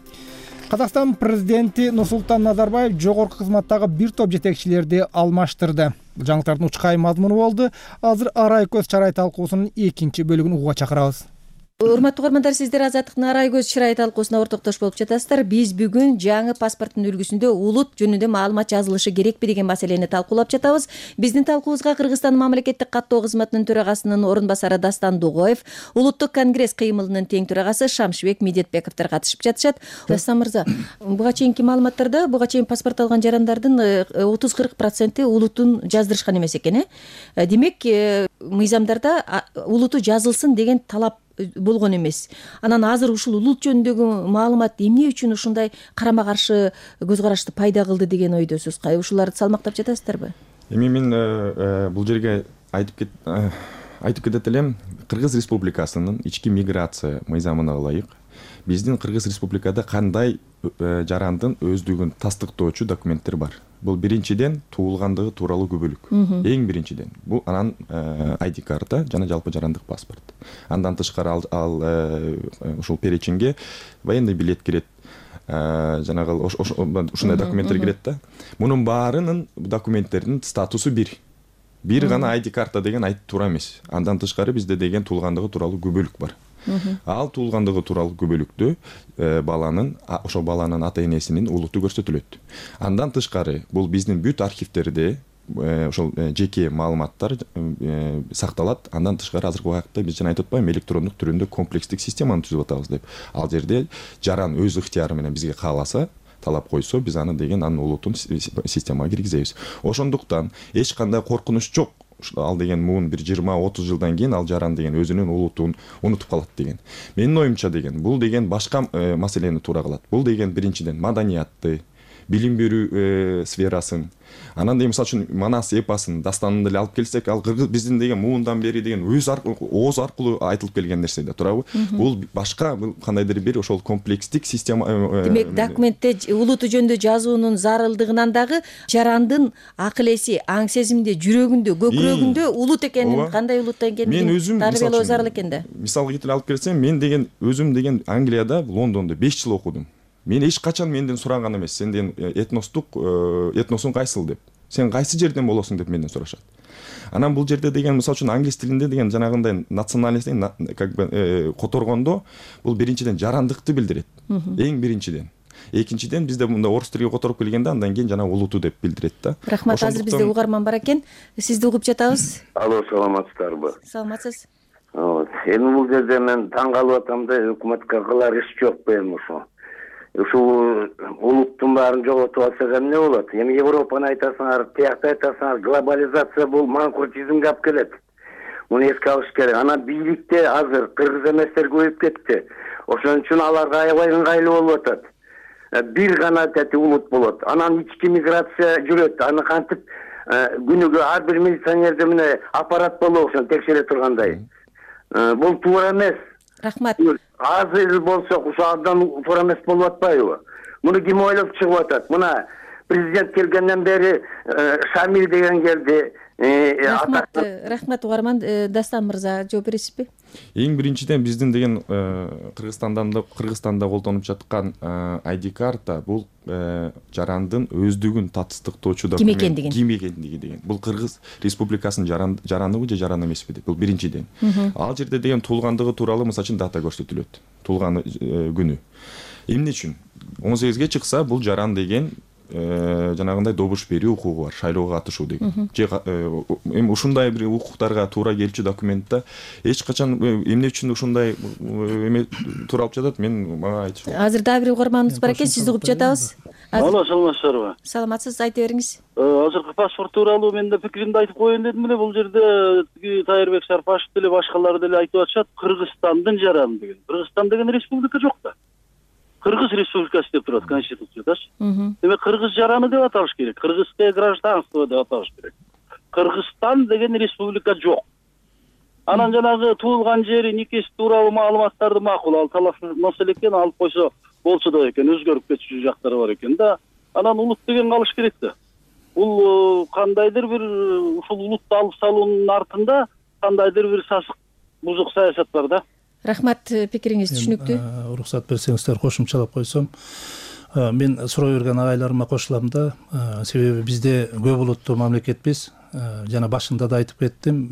Казакстан президенти Нурсултан Назарбаев жогорку кызматтагы бир топ жетекчилерди алмаштырды. Бул жаңылыктардын учкай мазмуну болду. Азыр арай көз чарай талкуусунун 2 бөлүгүн угууга чакырабыз. Урматтуу угармандар, сиздер Азаттыктын арай көз чырай талкуусуна ортоктош болуп жатасыздар. Биз бүгүн жаңы паспорттун үлгүсүндө улут жөнүндө маалымат жазылышы керекпи деген маселени талкуулап жатабыз. Биздин талкуубузга Кыргызстан мамлекеттик каттоо кызматынын төрагасынын орун басары Дастан Дугоев, улуттук конгресс кыймылынын тең төрагасы Шамшыбек Медетбековдор катышып жатышат. Дастан мырза, буга чейинки маалыматтарда буга чейин паспорт алган жарандардын 30-40% улутун жаздырышкан эмес экен. Демек, мыйзамдарда улуту жазылсын деген талап болгон эмес. Анан азыр ушул улут жөнүндөгү маалымат эмне үчүн ушундай карама каршы көз карашты пайда кылды деген ойдосуз? Ушуларды салмактап жатасыздарбы? Эми мен бул жерге айтып кетет элем, Кыргыз Республикасынын ички миграция мыйзамына ылайык биздин Кыргыз Республикада кандай жарандын өздүгүн тастыктоочу документтер бар. Бул биринчиден туулгандыгы тууралуу күбөлүк. Эң биринчиден бул анан ID карта жана жалпы жарандык паспорт. Андан тышкары ал ушул перечинге военный билет кирет. Жанагы ушундай документтер кирет да. Мунун баарынын документтердин статусу бир гана ID карта деген айтып туура эмес. Андан тышкары бизде деген туулгандыгы тууралуу күбөлүк бар. Ал туулгандыгы тууралуу күбөлүктү ошол баланын ата энесинин улуту көрсөтүлөт. Андан тышкары бул биздин бүт архивдерде ошол жеке маалыматтар сакталат. Андан тышкары азыркы убакытта биз жана айтып атпаймынбы, электрондук түрүндө комплекстик системаны түзүп атабыз деп. Ал жерде жаран өз ыктыяры менен бизге кааласа, талап койсо, биз анын улутун системага киргизебиз. Ошондуктан эч кандай коркунуч жок. Ал деген муун бир 20-30 жылдан кийин ал жаран деген өзүнүн улутун унутуп калат деген. Менин оюмча деген бул деген башка маселени туура кылат. Бул деген биринчиден маданиятты, билим берүү сферасын, анан деген мисалы үчүн Манас эпосын, дастанын деле алып келсек, ал кыргыз биздин деген муундан бери деген ооз аркылуу айтылып келген нерсе да, туурабы? Бул башка кандайдыр бир ошол комплекстик система. Демек, документте улуту жөнүндө жазуунун зарылдыгынан дагы жарандын акыл эси, аң сезимде, жүрөгүндө, көкүрөгүндө улут экенин, кандай улут экенин тарбиялоо зарыл экен да. Мисалга келтирип алып келсем, мен деген өзүм деген Англияда, Лондондо 5 жыл окудум. Мен эч качан менден сураган эмес, сен деген этносуң кайсыл деп. Сен кайсы жерден болосуң деп менден сурашат. Анан бул жерде деген мисалы үчүн англис тилинде деген жанагындай национальностьтин как бы которгондо бул биринчиден жарандыкты билдирет. Эң биринчиден. Экинчиден бизде мында орус тилиге которуп келгенде андан кийин жана улуту деп билдирет да. Рахмат, азыр бизде угарман бар экен. Сизди угуп жатабыз. Алло, саламатсыздарбы? Саламатсыз. Эми бул жерде мен таң калып атам да, өкмөткө кылар иш жокпу эми ошо. Ушул улуттун баарын жоготуп алсак эмне болот? Эми Европаны айтасыңар, тиякты айтасыңар, глобализация бул манкуртизмге алып келет. Муну эске алыш керек. Анан бийликте азыр кыргыз эместер көбөйүп кетти. Ошон үчүн аларга аябай ыңгайлуу болуп атат. Бир гана улут болот. Анан ички миграция жүрөт. Аны кантип күнүгө ар бир милиционерде мына аппарат болобу ошону текшере тургандай. Бул туура эмес. Рахмат. Азыр болсок ушул абдан туура эмес болуп атпайбы? Муну ким ойлоп чыгып атат? Мына президент келгенден бери Шамил деген келди. Рахмат угарман. Дастан мырза жооп бересизби? Эң биринчиден биздин деген Кыргызстанда колдонуп жаткан ID карта бул жарандын өздүгүн татыктоочу документ. Ким экендиги деген. Бул Кыргыз Республикасынын жараныбы же жаран эмеспи деп. Бул биринчиден. Ал жерде деген туулгандыгы тууралуу мисалы үчүн дата көрсөтүлөт. Туулган күнү. Эмне үчүн? 18ге чыкса бул жаран деген жанагындай добуш берүү укугу бар, шайлоого катышуу деген. Эми ушундай бир укуктарга туура келчү документте эч качан эмне үчүн ушундай эме туура алып жатат, мага айтыш. Азыр дагы бир угарманыбыз бар экен, сизди угуп жатабыз. Алло, саламатсыздарбы? Саламатсыз, айта бериңиз. Азыркы паспорт тууралуу мен да пикиримди айтып коеюн дедим эле. Бул жерде Тайырбек Сарпашев деле башкалар деле айтып атышат, Кыргызстандын жараны деген. Кыргызстан деген республика жок да. Кыргыз республикасы деп турат конституциядачы. Демек кыргыз жараны деп аталыш керек. Кыргызское гражданство деп аталыш керек. Кыргызстан деген республика жок. Анан жанагы туулган жери, никеси тууралуу маалыматтарды макул, ал талаш маселе экен, алып койсо болчу да экен, өзгөрүп кетчү жактары бар экен да. Анан улут деген калыш керек да. Бул кандайдыр бир ушул улутты алып салуунун артында кандайдыр бир сасык, бузук саясат бар да. Рахмат, пикириңиз түшүнүктүү. Уруксат берсеңиздер кошумчалап койсом, мен суроо берген агайларыма кошулам да, себеби бизде көп улуттуу мамлекетпиз. Жана башында да айтып кеттим,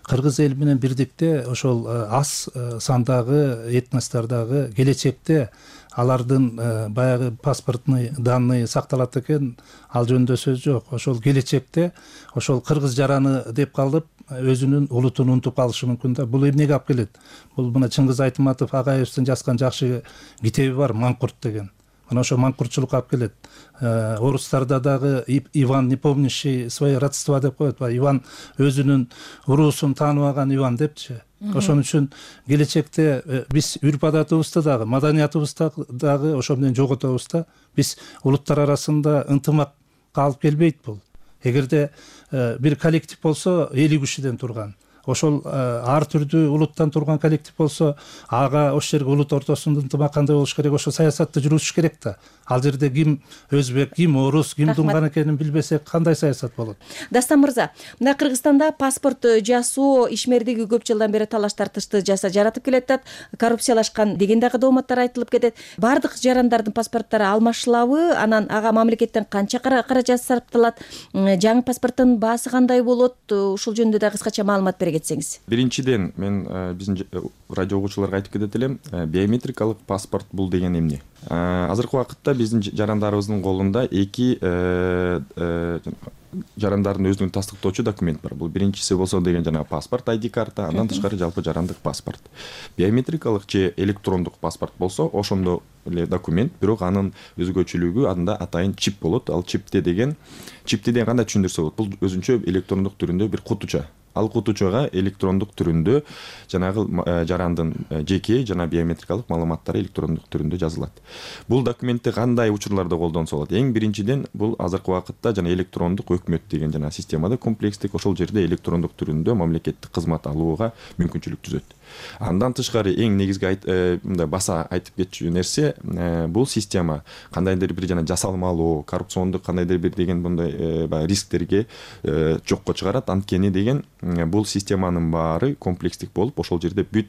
кыргыз эли менен бирдикте ошол аз сандагы этностордогу келечекте алардын баягы паспортный данные сакталат экен, ал жөнүндө сөз жок. Ошол келечекте ошол кыргыз жараны деп калып өзүнүн улутун унутуп калышы мүмкүн да. Бул эмнеге алып келет? Бул мына Чыңгыз Айтматов агаевичтин жазган жакшы китеби бар, Манкурт деген. Мына ошо манкуртчулукка алып келет. Орустарда дагы Иван, не помнящий свои родства деп коет. Иван өзүнүн уруусун тааныбаган Иван депчи. Ошон үчүн келечекте биз үрп адатыбызды дагы, маданиятыбызды дагы ошо менен жоготобуз да. Биз улуттар арасында ынтымак алып келбейт бул. Эгерде бир коллектив болсо 50 кишиден турган, ошол ар түрдүү улуттан турган коллектив болсо, ага ошол жерге улут ортосунда ынтымак кандай болуш керек, ошо саясатты жүргүзүш керек да. Ал жерде ким өзбек, ким орус, ким тунган экенин билбесек кандай саясат болот? Дастан мырза, мына Кыргызстанда паспорт жасоо ишмердиги көп жылдан бери талаш тартышты жаратып келатат, коррупциялашкан деген дагы дооматтар айтылып кетет. Бардык жарандардын паспорттору алмашылабы? Анан ага мамлекеттен канча каражат сарпталат? Жаңы паспорттун баасы кандай болот? Ушул жөнүндө да кыскача маалымат бергиле. кетсеңиз. Биринчиден мен биздин радио угуучуларга айтып кетет элем, биометрикалык паспорт бул деген эмне? Азыркы убакытта биздин жарандарыбыздын колунда эки жарандардын өзүнүн тастыктоочу документ бар. Бул биринчиси болсо деген жанагы паспорт, ID карта, андан тышкары жалпы жарандык паспорт. Биометрикалык же электрондук паспорт болсо ошондой эле документ, бирок анын өзгөчөлүгү анда атайын чип болот. Ал чипти деген кандай түшүндүрсө болот? Бул өзүнчө электрондук түрүндө бир кутуча. Ал кутучага электрондук түрүндө жанагы жарандын жеке жана биометрикалык маалыматтары электрондук түрүндө жазылат. Бул документти кандай учурларда колдонсо болот? Эң биринчиден бул азыркы убакытта жана электрондук өкмөт деген жана системада комплекстик ошол жерде электрондук түрүндө мамлекеттик кызмат алууга мүмкүнчүлүк түзөт. Андан тышкары эң негизги мындай баса айтып кетчү нерсе, бул система кандайдыр бир жана жасалмалуу, коррупциондук кандайдыр бир деген мындай рисктерге жокко чыгарат. Анткени деген бул системанын баары комплекстик болуп, ошол жерде бүт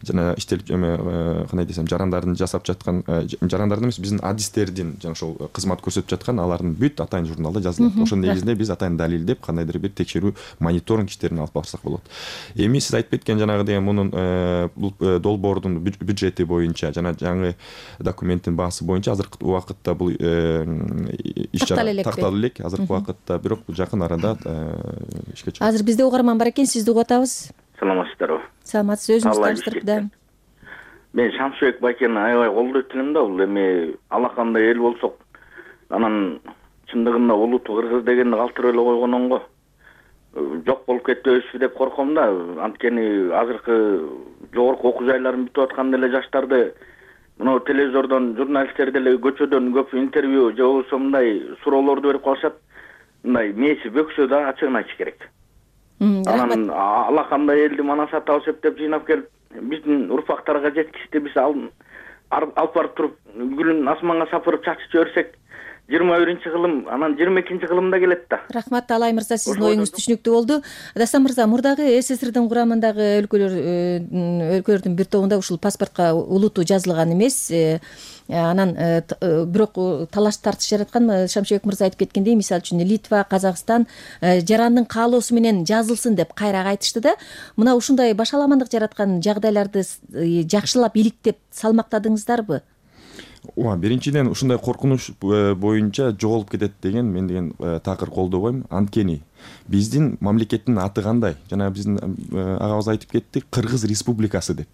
жана иштелип кандай десем, жарандардын жасап жаткан, жарандардын эмес, биздин адистердин жана ошол кызмат көрсөтүп жаткан алардын бүт атайын журналда жазылат. Ошонун негизинде биз атайын далилдеп кандайдыр бир текшерүү, мониторинг иштерин алып барсак болот. Эми сиз айтып кеткен жанагы деген мунун бул долбоордун бюджети боюнча жана жаңы документтин баасы боюнча азыркы убакытта бул иш чара такталып элек. Азыркы убакытта бирок жакын арада ишке чыгат. Азыр бизде угарман бар экен, сизди угуп атабыз. Саламатсыздарбы? Саламатсыз, өзүңүз таныштырып да. Мен Шамшыбек Байкени аябай колдойт элем да, бул эми алакандай эл болсок, анан чындыгында улуту кыргыз дегенди калтырып эле койгонун го. Жок болуп кетпөбүзбү деп корком да. Анткени азыркы жогорку окуу жайларын бүтүп аткан эле жаштарды мына телевизордон, журналисттерди эле көчөдөн көп интервью же болбосо мындай суроолорду берип калышат. Мындай мээси бөксө да ачыгын айтыш керек. Анан алакандай элди манасат алып септеп жыйнап келип биздин урпактарга жеткичти биз алып барып туруп гүлүн асманга сапырып чачып жиберсек 21-кылым, анан 22-кылымда келет да. Рахмат, Алай мырза, сиздин оюңуз түшүнүктүү болду. Дастан мырза, мурдагы СССРдин курамындагы өлкөлөрдүн бир тобунда ушул паспортко улуту жазылган эмес. Анан бирок талаш тартыш жараткан. Шамшыбек мырза айтып кеткендей, мисалы үчүн Литва, Казакстан жарандын каалоосу менен жазылсын деп кайра айтышты да. Мына ушундай башаламандык жараткан жагдайларды жакшылап иликтеп салмактадыңыздарбы? Биринчиден ушундай коркунуч боюнча жоголуп кетет деген мен деген такыр колдобойм. Анткени биздин мамлекеттин аты кандай? Жана биздин агабыз айтып кетти, Кыргыз Республикасы деп.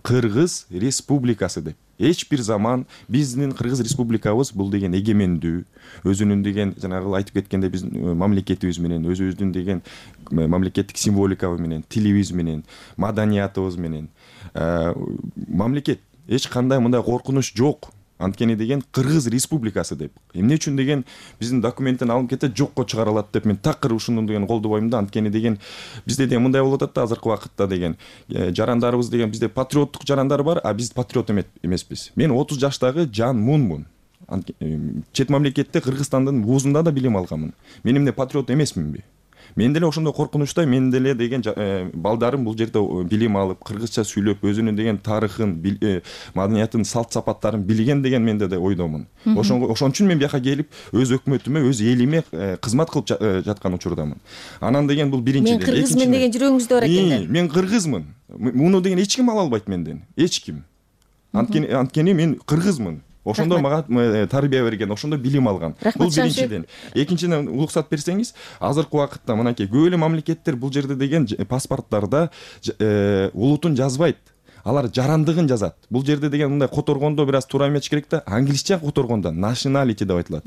Кыргыз Республикасы деп. Эч бир заман биздин Кыргыз Республикабыз бул деген эгемендүү, өзүнүн деген жанагы айтып кеткенде биздин мамлекетибиз менен, өзүбүздүн деген мамлекеттик символикабыз менен, тилибиз менен, маданиятыбыз менен мамлекет. Эч кандай мындай коркунуч жок. Анткени деген Кыргыз Республикасы деп. Эмне үчүн деген биздин документтен алынып кетет, жокко чыгарылат деп мен такыр ушуну деген колдобойм да. Анткени деген бизде деген мындай болуп атат да азыркы убакытта деген жарандарыбыз деген бизде патриоттук жарандар бар, а биз патриот эмеспиз. Мен 30 жаштагы Жан Мунмун. Чет мамлекетте Кыргызстандын вузунда да билим алганмын. Мен эмне патриот эмесминби? Мен деле ошондой коркунучтай, мен деле деген балдарым бул жерде билим алып, кыргызча сүйлөп, өзүнүн деген тарыхын, маданиятын, салт сапаттарын билген деген менде да ойдомун. Ошон үчүн мен бияка келип, өз өкмөтүмө, өз элиме кызмат кылып жаткан учурдамын. Анан деген бул биринчиден. Мен кыргызмын деген жүрөгүңүздө бар экен. Мен кыргызмын. Муну деген эч ким ала албайт менден. Эч ким. Анткени мен кыргызмын. Ошондо мага тарбия берген, ошондо билим алган. Бул биринчиден. Экинчиден, уруксат берсеңиз, азыркы убакытта мынакей көп эле мамлекеттер бул жерде деген паспорттарда улутун жазбайт. Алар жарандыгын жазат. Бул жерде деген мындай которгондо бир аз туура эмес керек да, англисче которгондо nationality деп айтылат.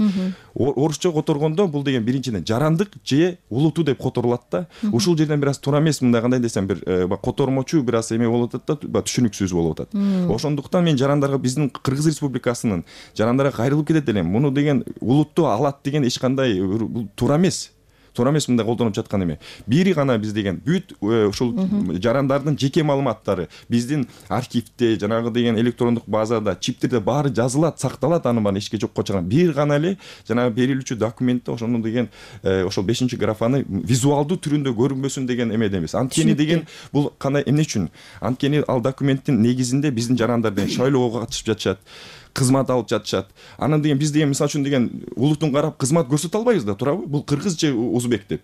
Орусча которгондо бул деген биринчиден жарандык же улуту деп которулат да. Ушул жерден бир аз туура эмес, мындай кандай десем, бир котормочу бир аз эме болуп атат да, түшүнүксүз болуп атат. Ошондуктан мен жарандарга, биздин Кыргыз Республикасынын жарандарга кайрылып кетет элем. Муну деген улутту алат деген эч кандай туура эмес. Туура эмес мындай колдонуп жаткан эме. Бири гана биз деген бүт ушул жарандардын жеке маалыматтары биздин архивде, жанагы деген электрондук базада, чиптерде баары жазылат, сакталат, аны баары эчке жокко чыган. Бир гана эле жанагы берилүүчү документте ошону деген ошол 5-графаны визуалдуу түрүндө көрүнбөсүн деген эмеде эмес. Анткени деген бул кандай эмне үчүн? Анткени ал документтин негизинде биздин жарандар деген шайлоого катышып жатышат, кызмат алып жатышат. Анан деген биз деген мисалы үчүн деген улутун карап кызмат көрсөтө албайбыз да, туурабы? Бул кыргыз же узбек деп.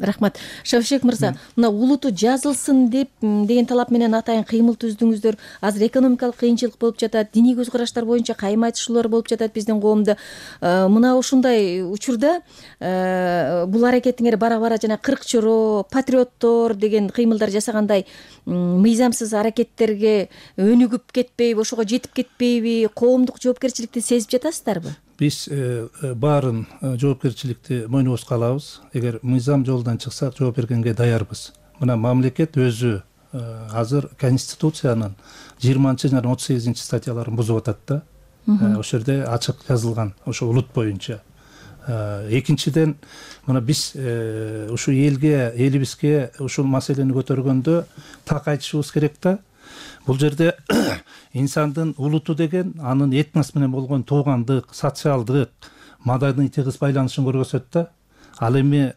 рахмат. Шавшек мырза, мына улуту жазылсын деген талап менен атайын кыймыл түздүңүздөр. Азыр экономикалык кыйынчылык болуп жатат, диний көз караштар боюнча кайым айтышуулар болуп жатат биздин коомдо. Мына ушундай учурда бул аракетиңер бара жана кырк чоро, патриоттор деген кыймылдар жасагандай мыйзамсыз аракеттерге өнүгүп кетпейби, ошого жетип кетпейби, коомдук жоопкерчиликти сезип жатасыздарбы? Биз баарын жоопкерчиликти мойнубузга алабыз. Эгер мыйзам жолдон чыксак жооп бергенге даярбыз. Мына мамлекет өзү азыр Конституциянын 20 жана 38 статьяларын бузуп атат да. Ошол жерде ачык жазылган ошо улут боюнча. Экинчиден, мына биз ушу элибизге ушул маселени көтөргөндө так айтышыбыз керек да. Бул жерде инсандын улуту деген анын этнос менен болгон туугандык, социалдык, маданий тыгыз байланышын көргөзөт да. Ал эми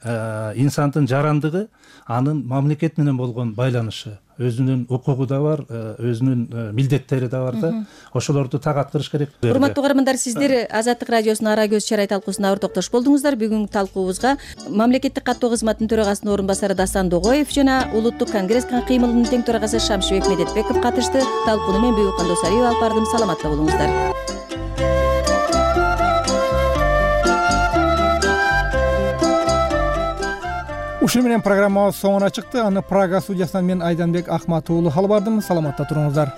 инсандын жарандыгы анын мамлекет менен болгон байланышы. Өзүнүн укугу да бар, өзүнүн милдеттери да бар да. Ошолорду так аткарыш керек. Урматтуу угармандар, сиздер Азаттык радиосунун Ара көз чарай талкуусуна ауыр токтош болдуңуздар. Бүгүнкү талкуубузга мамлекеттик каттоо кызматынын төрагасынын орун басары Дасан Догоев жана Улуттук конгресс кыймылынын тең төрагасы Шамшыбек Медетбеков катышты. Талкууну мен Бүйүккан Досалиева алып бардым. Саламатта болуңуздар. Ушуну менен программабыз соңуна чыкты. Аны Прага студиясынан мен Айданбек Акматуулу алып бардым. Саламатта туруңуздар.